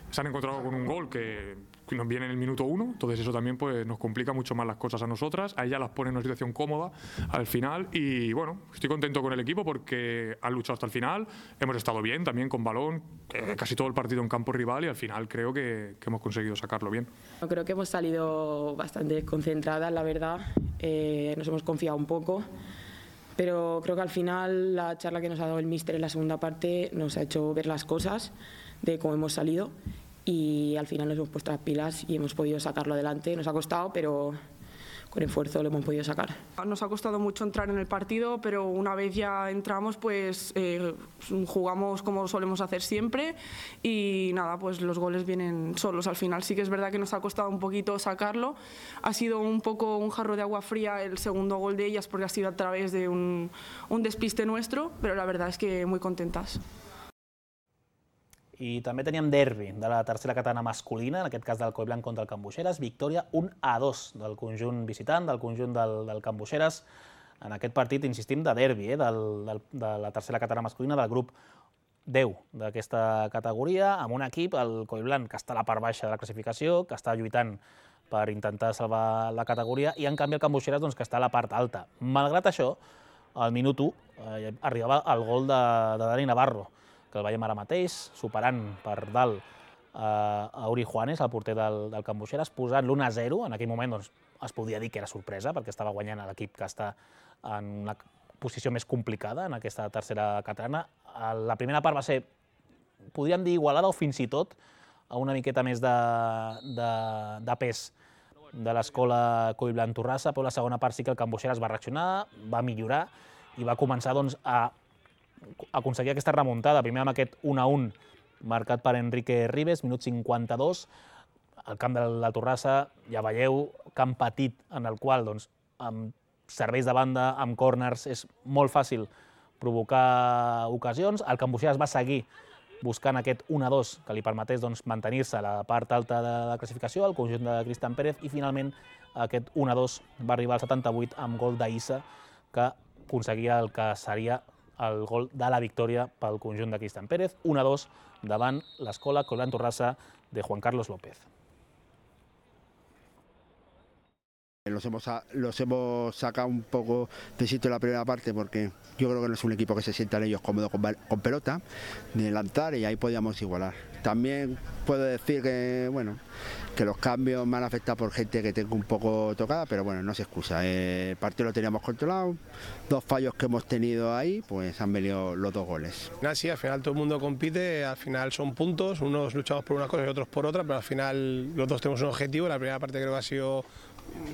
Se han encontrado con un gol que nos viene en el minuto uno, entonces eso también pues, nos complica mucho más las cosas a nosotras, a ellas las pone en una situación cómoda al final y bueno, estoy contento con el equipo porque han luchado hasta el final, hemos estado bien también con balón, eh, casi todo el partido en campo rival y al final creo que, que hemos conseguido sacarlo bien. Creo que hemos salido bastante concentradas, la verdad, eh, nos hemos confiado un poco. Pero creo que al final la charla que nos ha dado el míster en la segunda parte nos ha hecho ver las cosas de cómo hemos salido y al final nos hemos puesto las pilas y hemos podido sacarlo adelante. Nos ha costado, pero con esfuerzo lo hemos podido sacar. Nos ha costado mucho entrar en el partido, pero una vez ya entramos, pues eh, jugamos como solemos hacer siempre y nada, pues los goles vienen solos al final. Sí que es verdad que nos ha costado un poquito sacarlo. Ha sido un poco un jarro de agua fría el segundo gol de ellas porque ha sido a través de un, un despiste nuestro, pero la verdad es que muy contentas. I també teníem derbi de la tercera catalana masculina, en aquest cas del Collblanc contra el Can Buixeres, victòria un a dos del conjunt visitant, del conjunt del, del Can Buixeres. En aquest partit, insistim, de derbi, eh, del, del, de la tercera catalana masculina, del grup deu d'aquesta categoria, amb un equip, el Collblanc, que està a la part baixa de la classificació, que està lluitant per intentar salvar la categoria, i en canvi el Can Buixeres, doncs, que està a la part alta. Malgrat això, al minut u eh, arribava el gol de, de Dani Navarro, que el veiem ara mateix, superant per dalt a Uri Juanes, el porter del, del Can Buixeras, posant l'u a zero. En aquell moment doncs, es podia dir que era sorpresa, perquè estava guanyant l'equip que està en una posició més complicada en aquesta tercera catalana. La primera part va ser, podríem dir, igualada o fins i tot a una miqueta més de, de, de pes de l'escola Collblanc Torrassa, però la segona part sí que el Can Buixeras va reaccionar, va millorar i va començar doncs, a aconseguir aquesta remuntada. Primer amb aquest u a un marcat per Enrique Ribes, minut cinquanta-dos. Al camp de la Torrassa, ja veieu, camp petit en el qual doncs, amb serveis de banda, amb corners, és molt fàcil provocar ocasions. El Can Buixeras va seguir buscant aquest u a dos que li permetés doncs, mantenir-se a la part alta de la classificació, el conjunt de Cristian Pérez, i finalment aquest u a dos va arribar al setanta-vuit amb gol d'Issa, que aconseguia el que seria el gol de la victòria pel conjunt de Cristian Pérez, u a dos davant l'escola Collblanc Torrassa de Juan Carlos López. Los hemos, los hemos sacado un poco de sitio en la primera parte porque yo creo que no es un equipo que se sientan ellos cómodos con, con pelota, ni lanzar, y ahí podíamos igualar. También puedo decir que, bueno, que los cambios me han afectado por gente que tengo un poco tocada, pero bueno, no se excusa. El partido lo teníamos controlado, dos fallos que hemos tenido ahí, pues han venido los dos goles. Sí, al final todo el mundo compite, al final son puntos, unos luchamos por una cosa y otros por otra, pero al final los dos tenemos un objetivo. La primera parte creo que ha sido...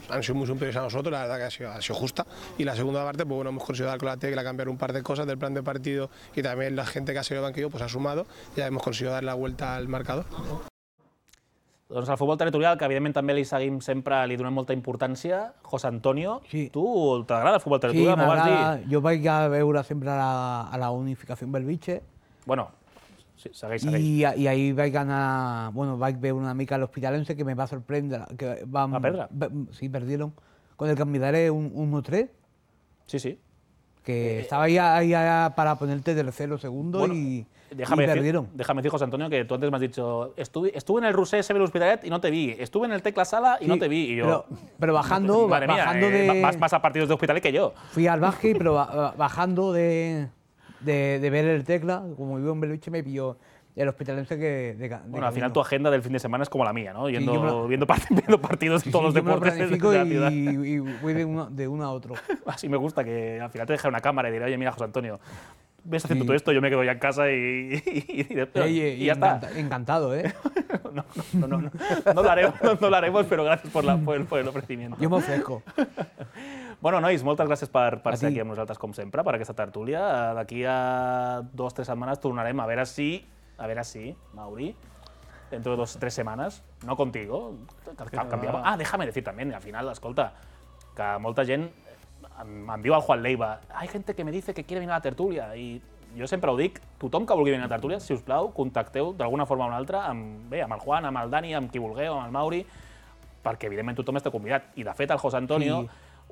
han sido muy superiores a nosotros, la verdad que ha sido, ha sido justa, y la segunda parte pues bueno, hemos conseguido dar con la tecla, cambiar un par de cosas del plan de partido, y también la gente que ha salido del banquillo pues ha sumado, y ya hemos conseguido dar la vuelta al marcador. Doncs el futbol territorial, que evidentment també li seguim sempre, li donem molta importància. José Antonio, sí. Tu t'agrada el futbol territorial? Sí, m'agrada. Jo vaig a veure sempre a la, a la unificació Belvitge. Bueno, sí, segueix, segueix. I, i ahir vaig anar, bueno, vaig veure una mica l'Hospitalense, que me va sorprendre. Que vam, ¿Va perdre? Sí, perdieron. Con el Cambidaré un uno tres. Sí, sí. Que eh, estaba ahí, ahí, ahí para ponerte tercero, segundo, bueno, y, déjame y decir, perdieron. Déjame decir, José Antonio, que tú antes me has dicho, estuve, estuve en el Rusé S B Hospitalet y no te vi, estuve en el Tecla Sala y sí, no te vi. Y yo, pero, pero bajando, madre mía, bajando eh, de... Más, más a partidos de Hospitalet que yo. Fui al básquet, pero bajando de, de, de ver el Tecla, como vivo en Belvitge, me pilló el Hospitalense que... De, de bueno, al final tu agenda del fin de semana es como la mía, ¿no? Yendo, sí, lo, viendo, part viendo partidos de sí, todos sí, los deportes de la ciudad. Y, y voy de uno, de uno a otro. Así me gusta, que al final te deja una cámara y diré, oye, mira, José Antonio, ves haciendo sí. todo esto, yo me quedo ya en casa y, y, y, y, y, y ya encanta, está. Encantado, ¿eh? no, no, no, no, no, no lo haremos, no, no lo haremos, pero gracias por, la, por, el, por el ofrecimiento. Jo m'ofrezco. Bueno, nois, moltes gràcies per, per ser aquí amb nosaltres, com sempre, per aquesta tertúlia. D'aquí a dos o tres setmanes tornarem a veure si, a veure si, Mauri, dentro de dos o tres semanas, no contigo, cambiamos. Ah, déjame decir también, al final, escolta, que molta gent em, em diu al Juan Leiva, hay gente que me dice que quiere venir a la tertúlia, i jo sempre ho dic, tothom que vulgui venir a la tertúlia, si us plau, contacteu d'alguna forma o una altra amb, bé, amb el Juan, amb el Dani, amb qui vulgueu, amb el Mauri, perquè evidentment tothom està convidat. I de fet el José Antonio sí.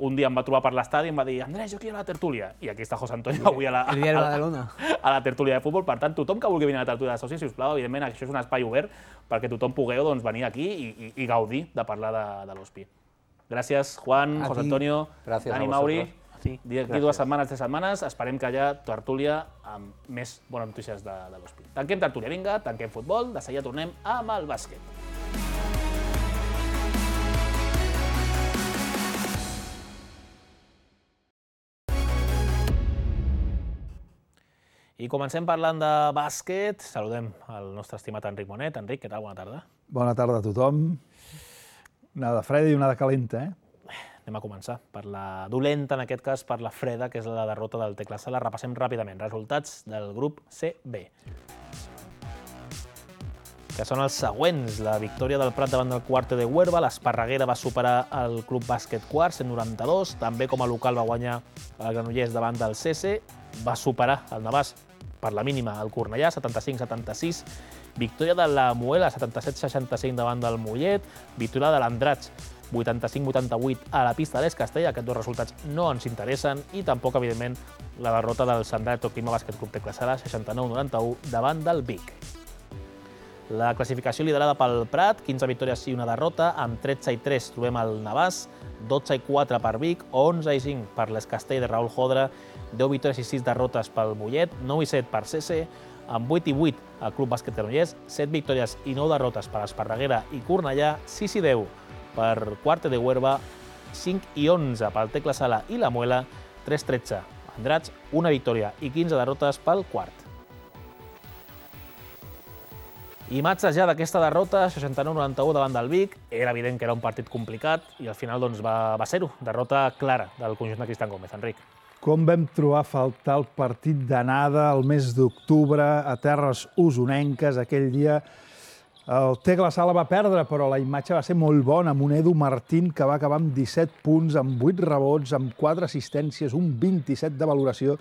un dia em va trobar per l'estadi i em va dir Andrés, jo quiero la tertúlia. I aquí està José Antonio avui a la, a, a, a la tertúlia de futbol. Per tant, tothom que vulgui venir a la tertúlia de socis, si us plau, evidentment això és un espai obert perquè tothom pugueu doncs, venir aquí i, i, i gaudir de parlar de, de l'Hospi. Gràcies, Juan, a José ti. Antonio, Gràcies Dani, Mauri. D'aquí dues setmanes, tres setmanes, esperem que hi ha tertúlia amb més bones notícies de, de l'Hospi. Tanquem tertúlia, vinga, tanquem futbol, de seguida tornem amb el bàsquet. I comencem parlant de bàsquet. Saludem el nostre estimat Enric Monet. Enric, què tal? Bona tarda. Bona tarda a tothom. Una de freda i una de calenta, eh? Anem a començar per la dolenta, en aquest cas per la freda, que és la derrota del Tecla Sala. Repassem ràpidament resultats del grup C B, que són els següents. La victòria del Prat davant del Cuarte de Huerva, l'Esparreguera va superar el Club Bàsquet Quart, cent noranta-dos, també com a local va guanyar el Granollers davant del C C, va superar el Navàs per la mínima el Cornellà, setanta-cinc setanta-sis, victòria de la Muela, setanta-set seixanta-cinc davant del Mollet, victòria de l'Andratx, vuitanta-cinc vuitanta-vuit a la pista de l'Es Castell. Aquests dos resultats no ens interessen, i tampoc, evidentment, la derrota del Sandrat Clima Bàsquet Club Tecla Sala, seixanta-nou noranta-u davant del Vic. La classificació liderada pel Prat, quinze victòries i una derrota, amb tretze i tres trobem el Navàs, dotze i quatre per Vic, onze i cinc per l'Es Castell de Raül Jodra, deu victòries i sis derrotes pel Mollet, nou i set per C C, amb vuit i vuit el Club Bàsquet Granollers, set victòries i nou derrotes per Esparreguera i Cornellà, sis i deu per Quarte de Huerva, cinc i onze pel Tecla Sala i la Muela, tres tretze Andratx, una victòria i quinze derrotes pel Quart. Imatges ja d'aquesta derrota, seixanta-nou noranta-u davant del Vic. Era evident que era un partit complicat i al final doncs, va, va ser-ho. Derrota clara del conjunt de Cristian Gómez. Enric. Com vam trobar a faltar el partit d'anada el mes d'octubre a terres usonenques aquell dia. El Tecla Sala va perdre, però la imatge va ser molt bona, amb un Edu Martín que va acabar amb disset punts, amb vuit rebots, amb quatre assistències, un vint-i-set de valoració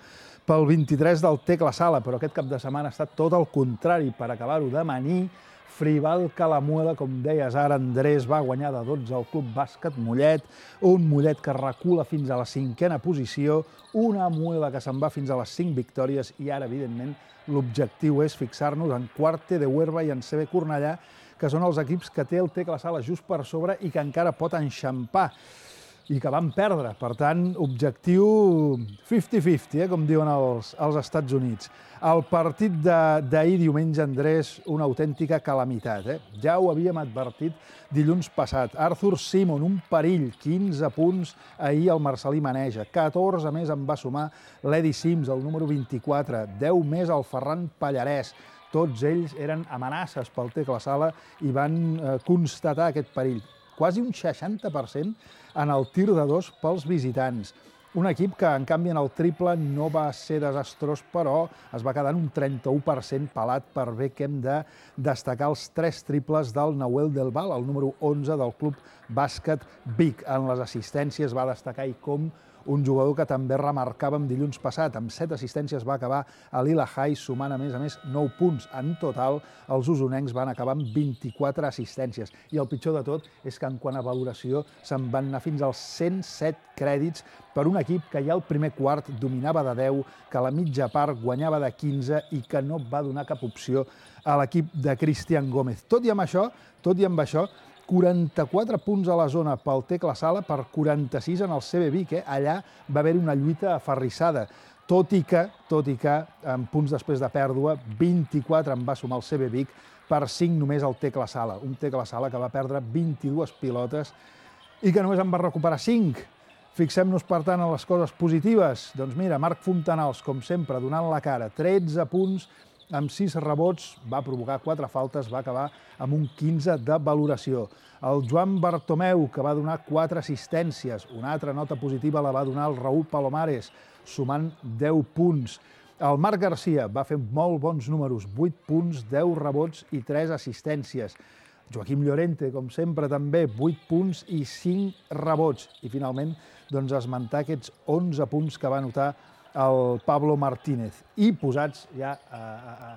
pel vint-i-tres del Tecla Sala, però aquest cap de setmana ha estat tot el contrari. Per acabar-ho d'amanir, Fribal Calamuela, com deies ara, Andrés, va guanyar de dotze al Club Bàsquet Mollet, un Mollet que recula fins a la cinquena posició, una Muela que se'n va fins a les cinc victòries i ara, evidentment, l'objectiu és fixar-nos en Quarte de Huerva i en C B Cornellà, que són els equips que té el Tecla Sala just per sobre i que encara pot enxampar i que van perdre. Per tant, objectiu cinquanta cinquanta, eh, com diuen els, els Estats Units. El partit d'ahir diumenge, Andrés, una autèntica calamitat. Eh? Ja ho havíem advertit dilluns passat. Arthur Simon, un perill, quinze punts ahir al Marcelí Maneja. catorze més en va sumar l'Edi Sims, el número vint-i-quatre. deu més el Ferran Pallarès. Tots ells eren amenaces pel Tecla Sala i van eh, constatar aquest perill. Quasi un seixanta per cent en el tir de dos pels visitants. Un equip que, en canvi, en el triple no va ser desastrós, però es va quedar en un trenta-u per cent pelat per bé que hem de destacar els tres triples del Nahuel Del Val, el número onze del Club Bàsquet Vic. En les assistències va destacar i com un jugador que també remarcàvem dilluns passat. Amb set assistències va acabar a Lila High, sumant a més a més nou punts. En total, els usonencs van acabar amb vint-i-quatre assistències. I el pitjor de tot és que en quant a valoració se'n van anar fins als cent set crèdits per un equip que ja al primer quart dominava de deu, que a la mitja part guanyava de quinze i que no va donar cap opció a l'equip de Cristian Gómez. Tot i amb això, tot i amb això, quaranta-quatre punts a la zona pel Tecla Sala per quaranta-sis en el C B Vic. Eh? Allà va haver una lluita aferrissada, tot i que, tot i que, en punts després de pèrdua, vint-i-quatre en va sumar el C B Vic per cinc només el Tecla Sala. Un Tecla Sala que va perdre vint-i-dues pilotes i que només en va recuperar cinc. Fixem-nos, per tant, en les coses positives. Doncs mira, Marc Fontanals, com sempre, donant la cara, tretze punts, amb sis rebots, va provocar quatre faltes, va acabar amb un quinze de valoració. El Joan Bartomeu, que va donar quatre assistències. Una altra nota positiva la va donar el Raúl Palomares, sumant deu punts. El Marc Garcia va fer molt bons números, vuit punts, deu rebots i tres assistències. Joaquim Llorente, com sempre, també, vuit punts i cinc rebots. I finalment, doncs, esmentar aquests onze punts que va anotar el Pablo Martínez. I posats ja a, a,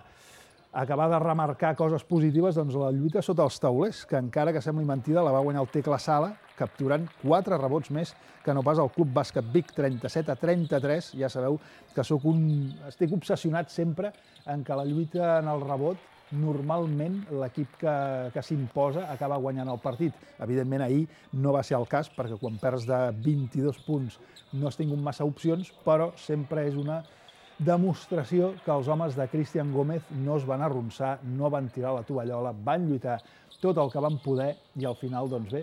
a acabar de remarcar coses positives, doncs la lluita sota els taulers, que encara que sembli mentida, la va guanyar el Tecla Sala, capturant quatre rebots més que no pas el Club Bàsquet Vic, trenta-set a trenta-tres. Ja sabeu que soc un... estic obsessionat sempre en que la lluita en el rebot, normalment l'equip que, que s'imposa acaba guanyant el partit. Evidentment, ahir no va ser el cas, perquè quan perds de vint-i-dos punts no has tingut massa opcions, però sempre és una demostració que els homes de Cristian Gómez no es van arronsar, no van tirar la tovallola, van lluitar tot el que van poder i al final, doncs bé,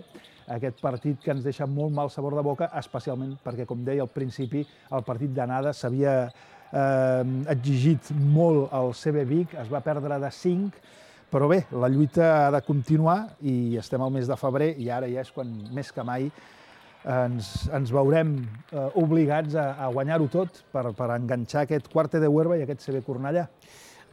aquest partit que ens deixa molt mal sabor de boca, especialment perquè, com deia al principi, el partit d'anada s'havia eh, exigit molt al C B Vic, es va perdre de cinc, però bé, la lluita ha de continuar i estem al mes de febrer i ara ja és quan més que mai ens, ens veurem eh, obligats a, a guanyar-ho tot per, per enganxar aquest Quarte de Huerva i aquest C B Cornellà.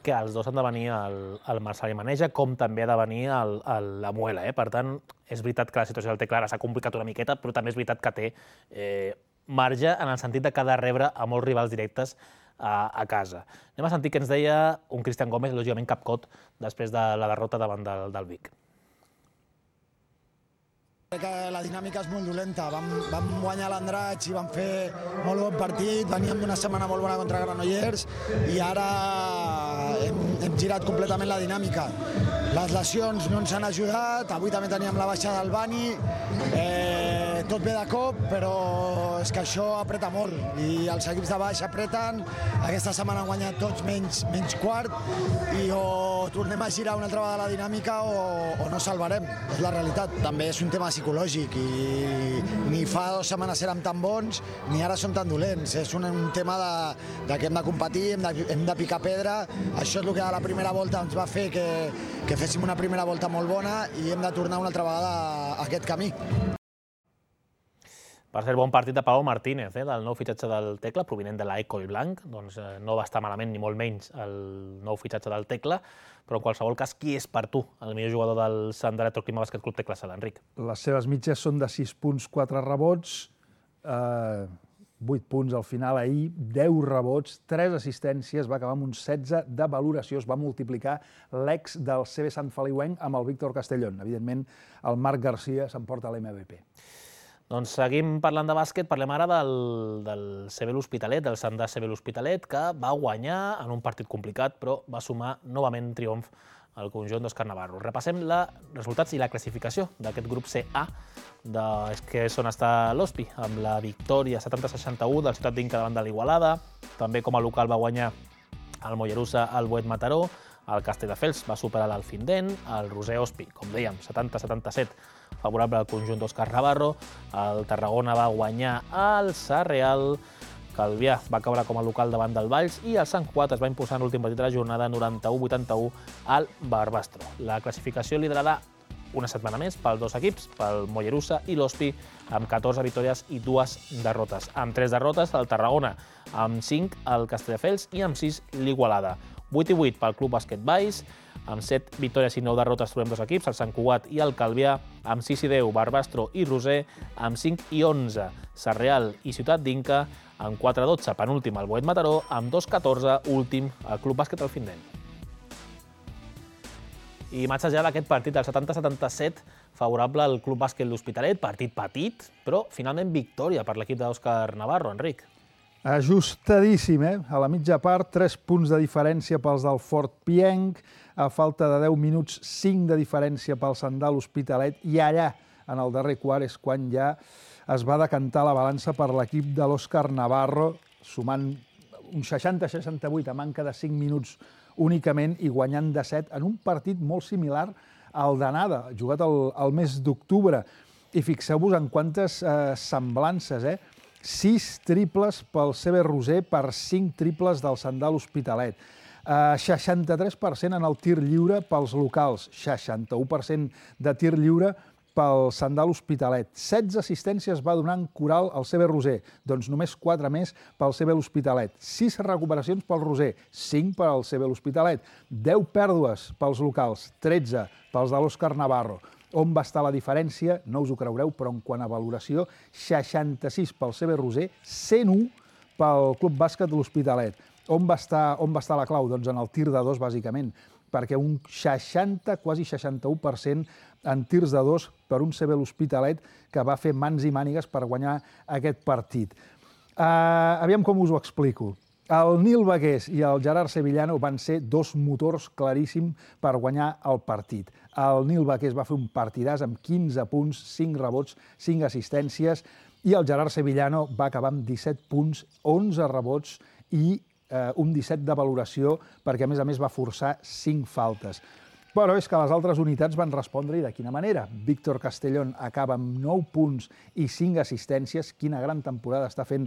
Que els dos han de venir al, al Marcelí Maneja, com també ha de venir al, al, la Muela. Eh? Per tant, és veritat que la situació del Tecla s'ha complicat una miqueta, però també és veritat que té eh, marge en el sentit de que ha de rebre a molts rivals directes a, a casa. Anem a sentir què ens deia un Cristian Gómez, lògicament capcot, després de la derrota davant del, del Vic. Crec que la dinàmica és molt dolenta. Vam, vam guanyar l'Andratx i vam fer molt bon partit, veníem d'una setmana molt bona contra Granollers i ara hem, hem girat completament la dinàmica. Les lesions no ens han ajudat, avui també teníem la baixa del Bani, eh, tot ve de cop, però és que això apreta molt i els equips de baix apreten. Aquesta setmana han guanyat tots menys, menys quart i o tornem a girar una altra vegada la dinàmica o, o no salvarem, és la realitat. També és un tema psicològic i ni fa dues setmanes érem tan bons ni ara som tan dolents. És un, un tema de, de que hem de competir, hem de, hem de picar pedra. Això és el que a la primera volta ens va fer que, que féssim una primera volta molt bona i hem de tornar una altra vegada a aquest camí. Per ser bon partit de Pau Martínez, eh, del nou fitxatge del Tecla, provinent de l'Ecol Blanc. Doncs eh, no va estar malament, ni molt menys, el nou fitxatge del Tecla, però en qualsevol cas, qui és per tu el millor jugador del Sant Electroclima Bàsquet Club Tecla Sala, Enric? Les seves mitges són de sis punts, quatre rebots, eh, vuit punts al final ahir, deu rebots, tres assistències, va acabar amb un setze de valoració, es va multiplicar l'ex del C B Sant Feliuenc amb el Víctor Castellón. Evidentment, el Marc Garcia s'emporta l'M V P. Doncs seguim parlant de bàsquet, parlem ara del, del C B l'Hospitalet, del Sandà C B l'Hospitalet, que va guanyar en un partit complicat, però va sumar novament triomf al conjunt d'Òscar Navarro. Repassem els resultats i la classificació d'aquest grup C A, de, que és on està l'Hospi, amb la victòria setanta a seixanta-u del Ciutat d'Inca davant de l'Igualada. També com a local va guanyar el Mollerussa al Boet Mataró, el Castelldefels va superar l'Alfindent, el Roser Hospi, com dèiem, setanta a setanta-set, favorable al conjunt d'Òscar Navarro, el Tarragona va guanyar el Sarreal, Calvià va caure com a local davant del Valls i el Sant Cugat es va imposar en l'últim partit de la jornada noranta-u a vuitanta-u al Barbastro. La classificació liderada una setmana més pels dos equips, pel Mollerussa i l'Hospi, amb catorze victòries i dues derrotes. Amb tres derrotes, el Tarragona, amb cinc el Castelldefels i amb sis l'Igualada. vuit i vuit pel Club Bàsquet Valls, amb set victòries i nou derrotes trobem dos equips, el Sant Cugat i el Calvià, amb sis i deu Barbastro i Roser, amb cinc i onze Sarreal i Ciutat d'Inca, amb quatre a dotze penúltim el Boet Mataró, amb dos a catorze últim el Club Bàsquet Alfindent. I imatges ja d'aquest partit, el setanta a setanta-set, favorable al Club Bàsquet l'Hospitalet, partit petit, però finalment victòria per l'equip d'Òscar Navarro, Enric. Ajustadíssim, eh? A la mitja part, tres punts de diferència pels del Fort Pienc, a falta de deu minuts, cinc de diferència pel Sandà l'Hospitalet, i allà, en el darrer quart, és quan ja es va decantar la balança per l'equip de l'Òscar Navarro, sumant un seixanta a seixanta-vuit a manca de cinc minuts únicament i guanyant de set en un partit molt similar al d'anada, jugat el, el mes d'octubre. I fixeu-vos en quantes eh, semblances, eh? sis triples pel C B Roser per cinc triples del Sandà l'Hospitalet. Uh, seixanta-tres per cent en el tir lliure pels locals, seixanta-u per cent de tir lliure pel Sandà l'Hospitalet. setze assistències va donar en Coral al C B Roser, doncs només quatre més pel C B l'Hospitalet. sis recuperacions pel Roser, cinc per al C B l'Hospitalet. deu pèrdues pels locals, tretze pels de l'Òscar Navarro. On va estar la diferència? No us ho creureu, però en quant a valoració, seixanta-sis pel C B Roser, cent u pel Club Bàsquet de l'Hospitalet. On va estar, on va estar la clau? Doncs en el tir de dos, bàsicament, perquè un seixanta, quasi seixanta-u per cent en tirs de dos per un C B l'Hospitalet que va fer mans i mànigues per guanyar aquest partit. Uh, aviam com us ho explico. El Nil Bagués i el Gerard Sevillano van ser dos motors claríssims per guanyar el partit. El Nil Bagués va fer un partidàs amb quinze punts, cinc rebots, cinc assistències, i el Gerard Sevillano va acabar amb disset punts, onze rebots i eh, un disset de valoració, perquè a més a més va forçar cinc faltes. Però és que les altres unitats van respondre i de quina manera. Víctor Castellón acaba amb nou punts i cinc assistències. Quina gran temporada està fent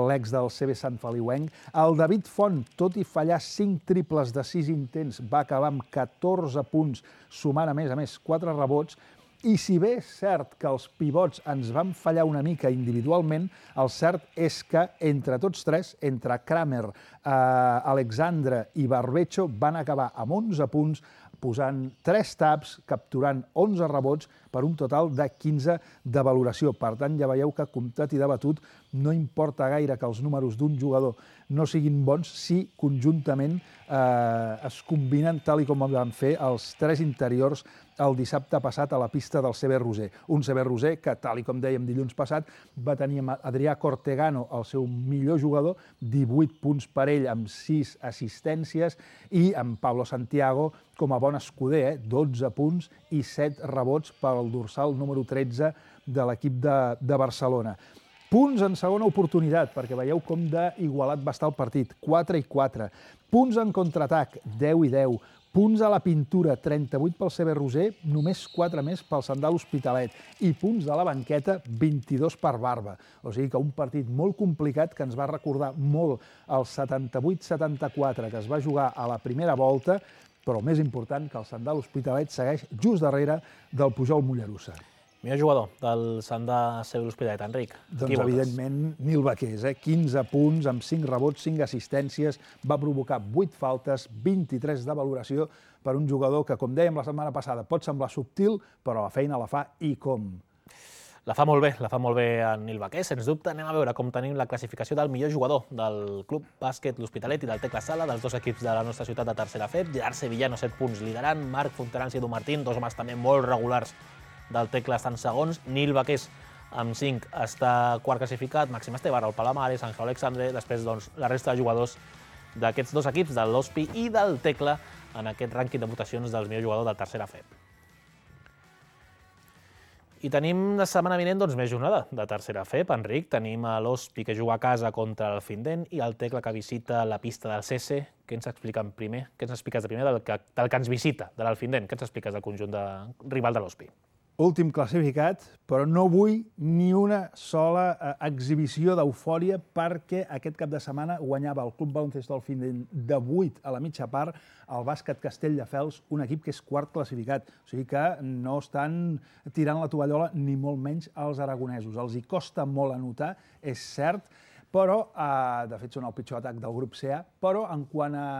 l'ex del C B Sant Feliuenc. El David Font, tot i fallar cinc triples de sis intents, va acabar amb catorze punts, sumant a més a més quatre rebots. I si bé és cert que els pivots ens van fallar una mica individualment, el cert és que entre tots tres, entre Kramer, eh, Alexandre i Barbecho, van acabar amb onze punts, posant tres taps, capturant onze rebots per un total de quinze de valoració. Per tant, ja veieu que, comptat i debatut, no importa gaire que els números d'un jugador no siguin bons si conjuntament eh, es combinen tal i com van fer els tres interiors el dissabte passat a la pista del C B Roser. Un C B Roser que, tal i com dèiem dilluns passat, va tenir Adrià Cortegano, el seu millor jugador, divuit punts per ell amb sis assistències, i amb Pablo Santiago com a bon escuder, eh? dotze punts i set rebots pel el dorsal número tretze de l'equip de, de Barcelona. Punts en segona oportunitat, perquè veieu com d'igualat va estar el partit, quatre i quatre. Punts en contraatac, deu i deu. Punts a la pintura, trenta-vuit pel C B Roser, només quatre més pel Sandal Hospitalet. I punts de la banqueta, vint-i-dos per Barba. O sigui que un partit molt complicat que ens va recordar molt el setanta-vuit setanta-quatre que es va jugar a la primera volta, però el més important que el Sandal Hospitalet segueix just darrere del Pujol Mollerussa. Millor jugador del Sandal C B L'Hospitalet, Enric. Doncs, evidentment, Nil Baqués, eh? quinze punts, amb cinc rebots, cinc assistències, va provocar vuit faltes, vint-i-tres de valoració per un jugador que, com dèiem la setmana passada, pot semblar subtil, però la feina la fa i com. La fa molt bé, la fa molt bé en Nil Baqués. Sens dubte, anem a veure com tenim la classificació del millor jugador del Club Bàsquet L'Hospitalet i del Tecla Sala, dels dos equips de la nostra ciutat de tercera F E P. Gerard Sevillano, set punts liderant, Marc Fontanals i Edu Martín, dos homes també molt regulars del Tecla estan segons, Nil Baqués amb cinc està quart classificat, Màxim Estebar, el Palamares, Àngel Alexandre, després doncs, la resta de jugadors d'aquests dos equips, del l'Hospi i del Tecla, en aquest rànquing de votacions del millor jugador del tercera F E P. I tenim la setmana vinent doncs, més jornada de tercera F E P, Enric. Tenim l'Hospi que juga a casa contra el Findent i el Tecla que visita la pista del C S. Què ens expliquen primer? Què ens expliques de primer del que, del que ens visita, de l'Alfindent? Què ens expliques del conjunt de rival de l'Hospi? Últim classificat, però no vull ni una sola eh, exhibició d'eufòria perquè aquest cap de setmana guanyava el Club Baloncesto Alfindent de vuit a la mitja part el Bàsquet Castelldefels, un equip que és quart classificat. O sigui que no estan tirant la tovallola ni molt menys als aragonesos. Els hi costa molt anotar, és cert, però, eh, de fet són el pitjor atac del grup C A, però en quant a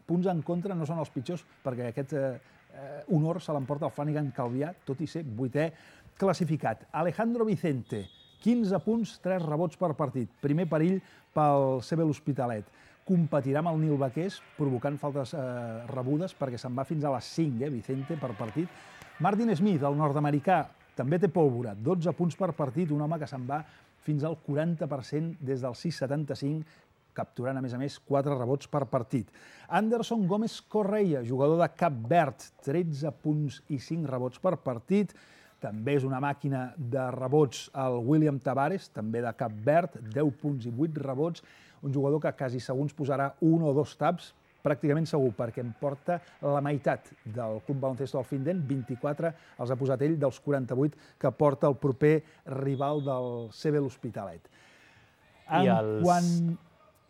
punts en contra no són els pitjors perquè aquest eh, Eh, honor se l'emporta el Flanagan Calvià, tot i ser vuitè classificat. Alejandro Vicente, quinze punts, tres rebots per partit. Primer perill pel C B L'Hospitalet. Competirà amb el Nil Baqués, provocant faltes eh, rebudes, perquè se'n va fins a les cinc, eh, Vicente, per partit. Martin Smith, el nord-americà, també té pólvora, dotze punts per partit, un home que se'n va fins al quaranta per cent des del sis setanta-cinc, capturant, a més a més, quatre rebots per partit. Anderson Gómez Correia, jugador de Cap Verd, tretze punts i cinc rebots per partit. També és una màquina de rebots el William Tavares, també de Cap Verd, deu punts i vuit rebots. Un jugador que quasi segur ens posarà un o dos taps, pràcticament segur, perquè em porta la meitat del Club Baloncesto Alfindent, vint-i-quatre els ha posat ell dels quaranta-vuit que porta el proper rival del C B L'Hospitalet. I els... Quan...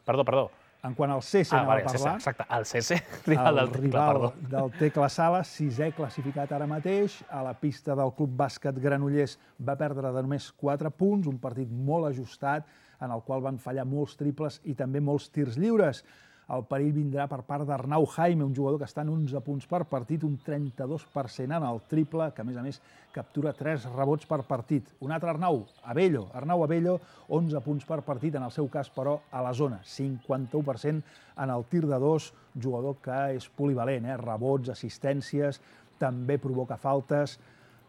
Perdó, perdó. En quant al C S ah, anava vale, a parlar... Exacte, el C S, rival del Tecla, perdó. del Tecla Sala, sisè classificat ara mateix. A la pista del Club Bàsquet Granollers va perdre de només quatre punts, un partit molt ajustat, en el qual van fallar molts triples i també molts tirs lliures. El perill vindrà per part d'Arnau Jaime, un jugador que està en onze punts per partit, un trenta-dos per cent en el triple, que a més a més captura tres rebots per partit. Un altre Arnau, Abello, Arnau Abello, onze punts per partit, en el seu cas, però, a la zona, cinquanta-u per cent en el tir de dos, jugador que és polivalent, eh? Rebots, assistències, també provoca faltes.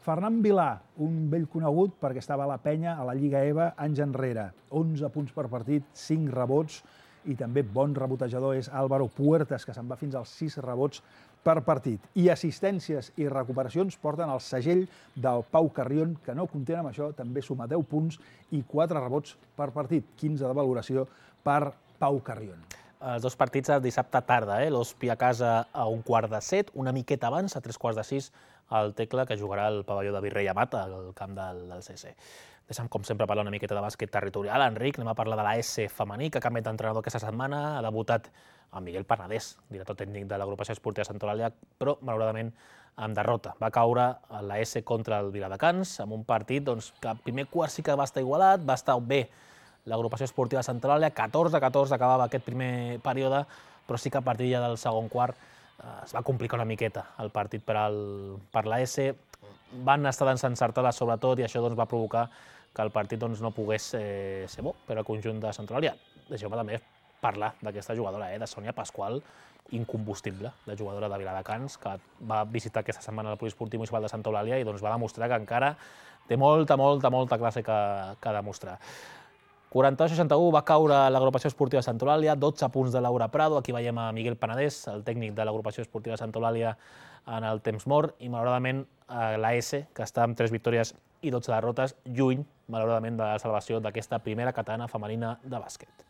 Fernan Vilà, un vell conegut perquè estava a la penya a la Lliga E V A anys enrere, onze punts per partit, cinc rebots, i també bon rebotejador és Álvaro Puertas, que se'n va fins als sis rebots per partit. I assistències i recuperacions porten el segell del Pau Carrion, que no content amb això, també suma deu punts i quatre rebots per partit, quinze de valoració per Pau Carrion. Els dos partits el dissabte tarda, eh? L'Hospi a casa a un quart de set, una miqueta abans, a tres quarts de sis, el Tecla, que jugarà al pavelló de Virrei Amat, al camp del, del C S. Deixa'm, com sempre, parlar una miqueta de bàsquet territorial. Enric, anem a parlar de la S femení, que ha canviat d'entrenador aquesta setmana. Ha debutat amb Miguel Parnadés, director tècnic de l'agrupació esportiva Sant Eulàlia, però, malauradament, amb derrota. Va caure a la S contra el Viladecans, amb un partit doncs, que al primer quart sí que va estar igualat, va estar bé l'agrupació esportiva Sant Eulàlia, catorze a catorze acabava aquest primer període, però sí que a partir ja del segon quart eh, es va complicar una miqueta el partit per, al, per la S. Van estar desencertades sobretot i això doncs, va provocar que el partit doncs, no pogués eh, ser bo per al conjunt de Sant Eulàlia. Deixeu-me també parlar d'aquesta jugadora, eh, de Sònia Pasqual, incombustible, la jugadora de Viladecans, que va visitar aquesta setmana el Poliesportiu Municipal de Sant Eulàlia i doncs, va demostrar que encara té molta, molta, molta classe que, que demostrar. quaranta-dos a seixanta-u va caure l'agrupació esportiva de Sant Eulàlia, dotze punts de Laura Prado. Aquí veiem a Miguel Panadés, el tècnic de l'agrupació esportiva de Sant Eulàlia, en el temps mort i, malauradament, la S, que està amb tres victòries i dotze derrotes, lluny, malauradament, de la salvació d'aquesta primera catalana femenina de bàsquet.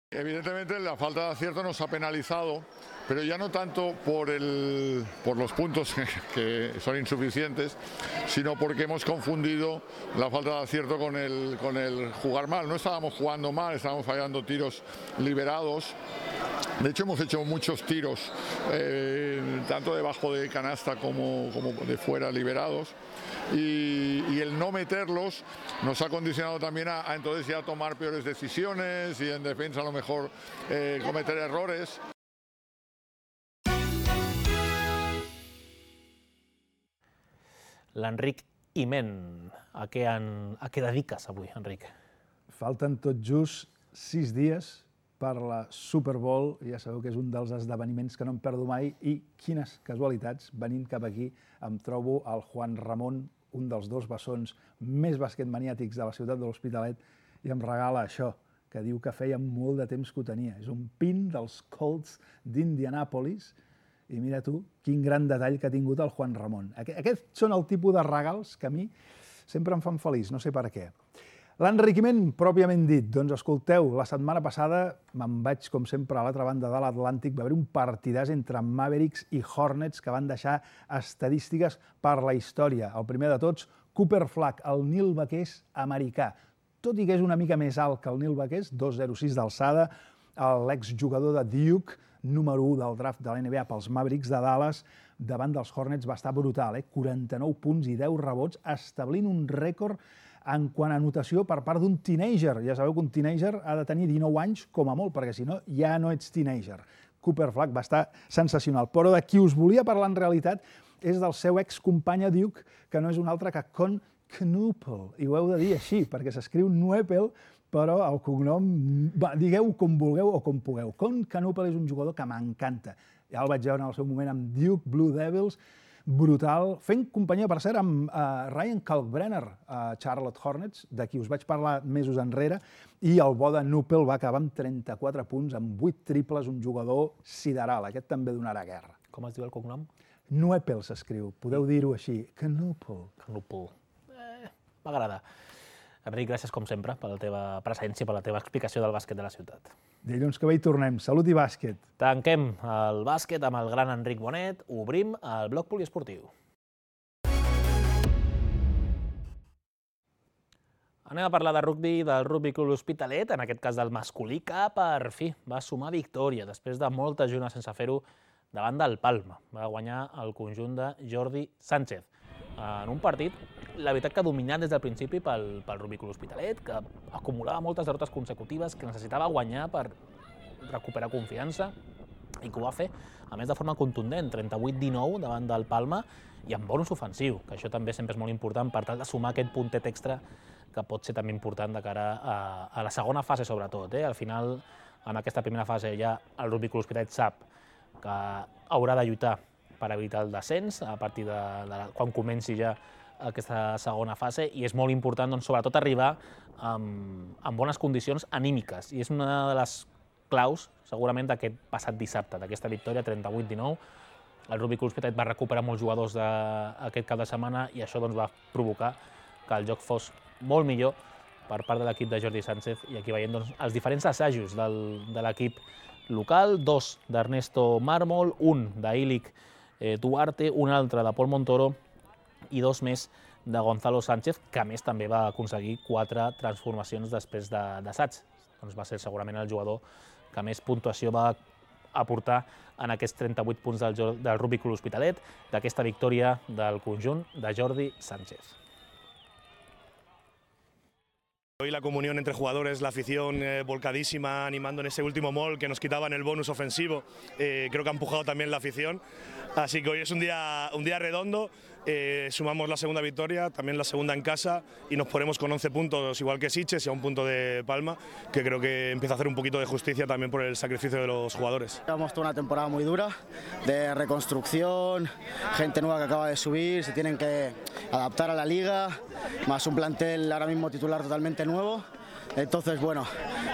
Evidentemente la falta de acierto nos ha penalizado, pero ya no tanto por, el, por los puntos que son insuficientes, sino porque hemos confundido la falta de acierto con el, con el jugar mal. No estábamos jugando mal, estábamos fallando tiros liberados. De hecho, hemos hecho muchos tiros, eh, tanto debajo de canasta como, como de fuera, liberados. Y, y el no meterlos nos ha condicionado también a, a entonces ya tomar peores decisiones y en defensa a lo mejor eh, cometer errores. L'Enric Iment, a què, en, a què dediques avui, Enric? Falten tot just sis dies per la Super Bowl, ja sabeu que és un dels esdeveniments que no em perdo mai, i quines casualitats, venint cap aquí, em trobo el Juan Ramon, un dels dos bessons més basquetmaniàtics de la ciutat de l'Hospitalet, i em regala això, que diu que feia molt de temps que ho tenia. És un pin dels Colts d'Indianàpolis, i mira tu, quin gran detall que ha tingut el Juan Ramon. Aquests són el tipus de regals que a mi sempre em fan feliç, no sé per què. L'enriquiment pròpiament dit, doncs escolteu, la setmana passada me'n vaig, com sempre, a l'altra banda de l'Atlàntic, va haver un partidàs entre Mavericks i Hornets que van deixar estadístiques per la història. El primer de tots, Cooper Flag, el Neil Baquers americà. Tot i que és una mica més alt que el Neil Baquers, dos coma zero sis d'alçada, l'exjugador de Duke, número u del draft de la N B A pels Mavericks de Dallas, davant dels Hornets va estar brutal, eh? quaranta-nou punts i deu rebots, establint un rècord en quant a anotació per part d'un teenager. Ja sabeu que un teenager ha de tenir dinou anys com a molt, perquè si no ja no ets teenager. Cooper Flag va estar sensacional. Però de qui us volia parlar en realitat és del seu excompany a Duke, que no és un altre que Con Knuppel. I ho heu de dir així, perquè s'escriu Knuppel, però el cognom, digueu com vulgueu o com pugueu. Con Knuppel és un jugador que m'encanta. Ja el vaig veure en el seu moment amb Duke Blue Devils, brutal, fent companyia, per cert, amb uh, Ryan Kalkbrenner, a uh, Charlotte Hornets, de qui us vaig parlar mesos enrere, i el bo de Knuppel va acabar amb trenta-quatre punts, amb vuit triples, un jugador sideral. Aquest també donarà guerra. Com es diu el cognom? Knuppel s'escriu, podeu dir-ho així, Knuppel. Knuppel. Eh, m'agrada. Enric, gràcies com sempre per la teva presència, per la teva explicació del bàsquet de la ciutat. Dilluns que ve hi tornem. Salut i bàsquet. Tanquem el bàsquet amb el gran Enric Bonet. Obrim el bloc poliesportiu. Anem a parlar de rugbi, del Rugby Club L'Hospitalet, en aquest cas del masculí, que per fi va sumar victòria després de moltes jornades sense fer-ho davant del Palma. Va guanyar el conjunt de Jordi Sánchez. En un partit, la veritat que dominat des del principi pel, pel Rugby Club L'Hospitalet, que acumulava moltes derrotes consecutives, que necessitava guanyar per recuperar confiança, i que ho va fer, a més de forma contundent, trenta-vuit dinou davant del Palma, i amb bonus ofensiu, que això també sempre és molt important per tal de sumar aquest puntet extra que pot ser també important de cara a, a la segona fase, sobretot. Eh? Al final, en aquesta primera fase, ja el Rugby Club L'Hospitalet sap que haurà de lluitar per evitar el descens a partir de, de quan comenci ja aquesta segona fase, i és molt important, doncs, sobretot, arribar amb, amb bones condicions anímiques. I és una de les claus, segurament, d'aquest passat dissabte, d'aquesta victòria trenta-vuit dinou. El Rugby Club L'Hospitalet va recuperar molts jugadors d'aquest cap de setmana i això doncs, va provocar que el joc fos molt millor per part de l'equip de Jordi Sánchez, i aquí veiem doncs, els diferents assajos del, de l'equip local, dos d'Ernesto Mármol, un d'Ilic Duarte, un altre de Pol Montoro i dos més de Gonzalo Sánchez, que a més també va aconseguir quatre transformacions després d'assaig. Doncs va ser segurament el jugador que més puntuació va aportar en aquests trenta-vuit punts del, del Rugby Club L'Hospitalet, d'aquesta victòria del conjunt de Jordi Sánchez. Hoy la comunión entre jugadores, la afición eh, volcadísima, animando en ese último mol que nos quitaban el bonus ofensivo, eh, creo que ha empujado también la afición, así que hoy es un día, un día redondo, eh, sumamos la segunda victoria, también la segunda en casa, y nos ponemos con once puntos, igual que Sitges, y a un punto de Palma, que creo que empieza a hacer un poquito de justicia también por el sacrificio de los jugadores. Llevamos toda una temporada muy dura, de reconstrucción, gente nueva que acaba de subir, se tienen que adaptar a la liga, más un plantel ahora mismo titular totalmente nuevo. Entonces, bueno,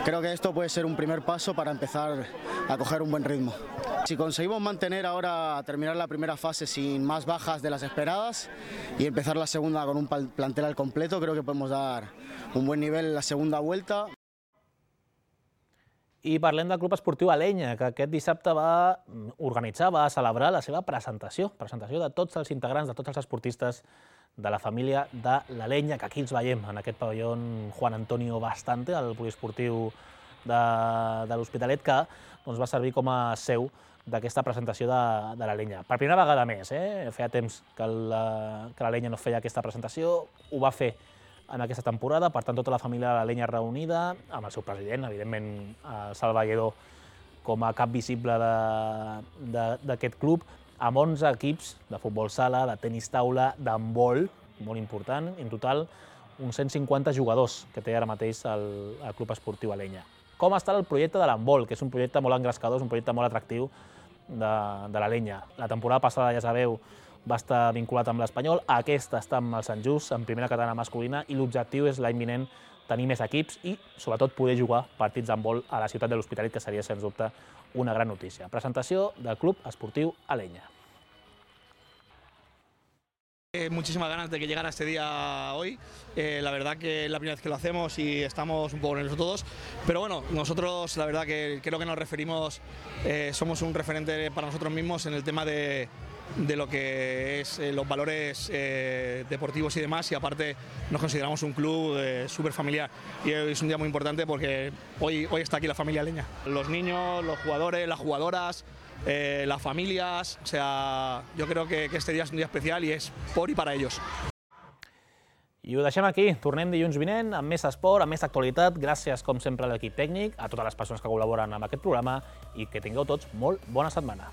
creo que esto puede ser un primer paso para empezar a coger un buen ritmo. Si conseguimos mantener ahora, terminar la primera fase sin más bajas de las esperadas y empezar la segunda con un plantel al completo, creo que podemos dar un buen nivel en la segunda vuelta. I parlem del Club Esportiu Alenya, que aquest dissabte va organitzar, va celebrar la seva presentació, presentació de tots els integrants, de tots els esportistes de la família de l'Alenya, que aquí els veiem en aquest pavelló Juan Antonio Bastante, el poliesportiu de, de l'Hospitalet, que doncs, va servir com a seu d'aquesta presentació de, de l'Alenya. Per primera vegada més, eh? Feia temps que l'Alenya no feia aquesta presentació, ho va fer en aquesta temporada, per tant, tota la família de l'Alenya reunida, amb el seu president, evidentment, el Salva Lledó, com a cap visible d'aquest club, amb onze equips de futbol sala, de tenis taula, d'handbol, molt important, en total, uns cent cinquanta jugadors que té ara mateix el, el Club Esportiu Alenya. Com està el projecte de l'handbol, que és un projecte molt engrescador, és un projecte molt atractiu de, de l'Alenya. La temporada passada, ja sabeu, va estar vinculat amb l'Espanyol, aquesta està amb el Sant Just, en primera catalana masculina, i l'objectiu és l'any vinent tenir més equips i, sobretot, poder jugar partits d'handbol a la ciutat de l'Hospitalet, que seria, sens dubte, una gran notícia. Presentació del Club Esportiu Alenya. Muchísimas ganas de que llegara este día hoy, eh, la verdad que es la primera vez que lo hacemos y estamos un poco nerviosos todos, pero bueno, nosotros la verdad que creo que nos referimos, eh, somos un referente para nosotros mismos en el tema de, de lo que es eh, los valores eh, deportivos y demás, y aparte nos consideramos un club eh, súper familiar y es un día muy importante porque hoy, hoy está aquí la familia Alenya. Los niños, los jugadores, las jugadoras, Eh, las familias, o sea, yo creo que, que este día es un día especial y es por y para ellos. I ho deixem aquí. Tornem dilluns vinent amb més esport, amb més actualitat. Gràcies, com sempre, a l'equip tècnic, a totes les persones que col·laboren amb aquest programa i que tingueu tots molt bona setmana.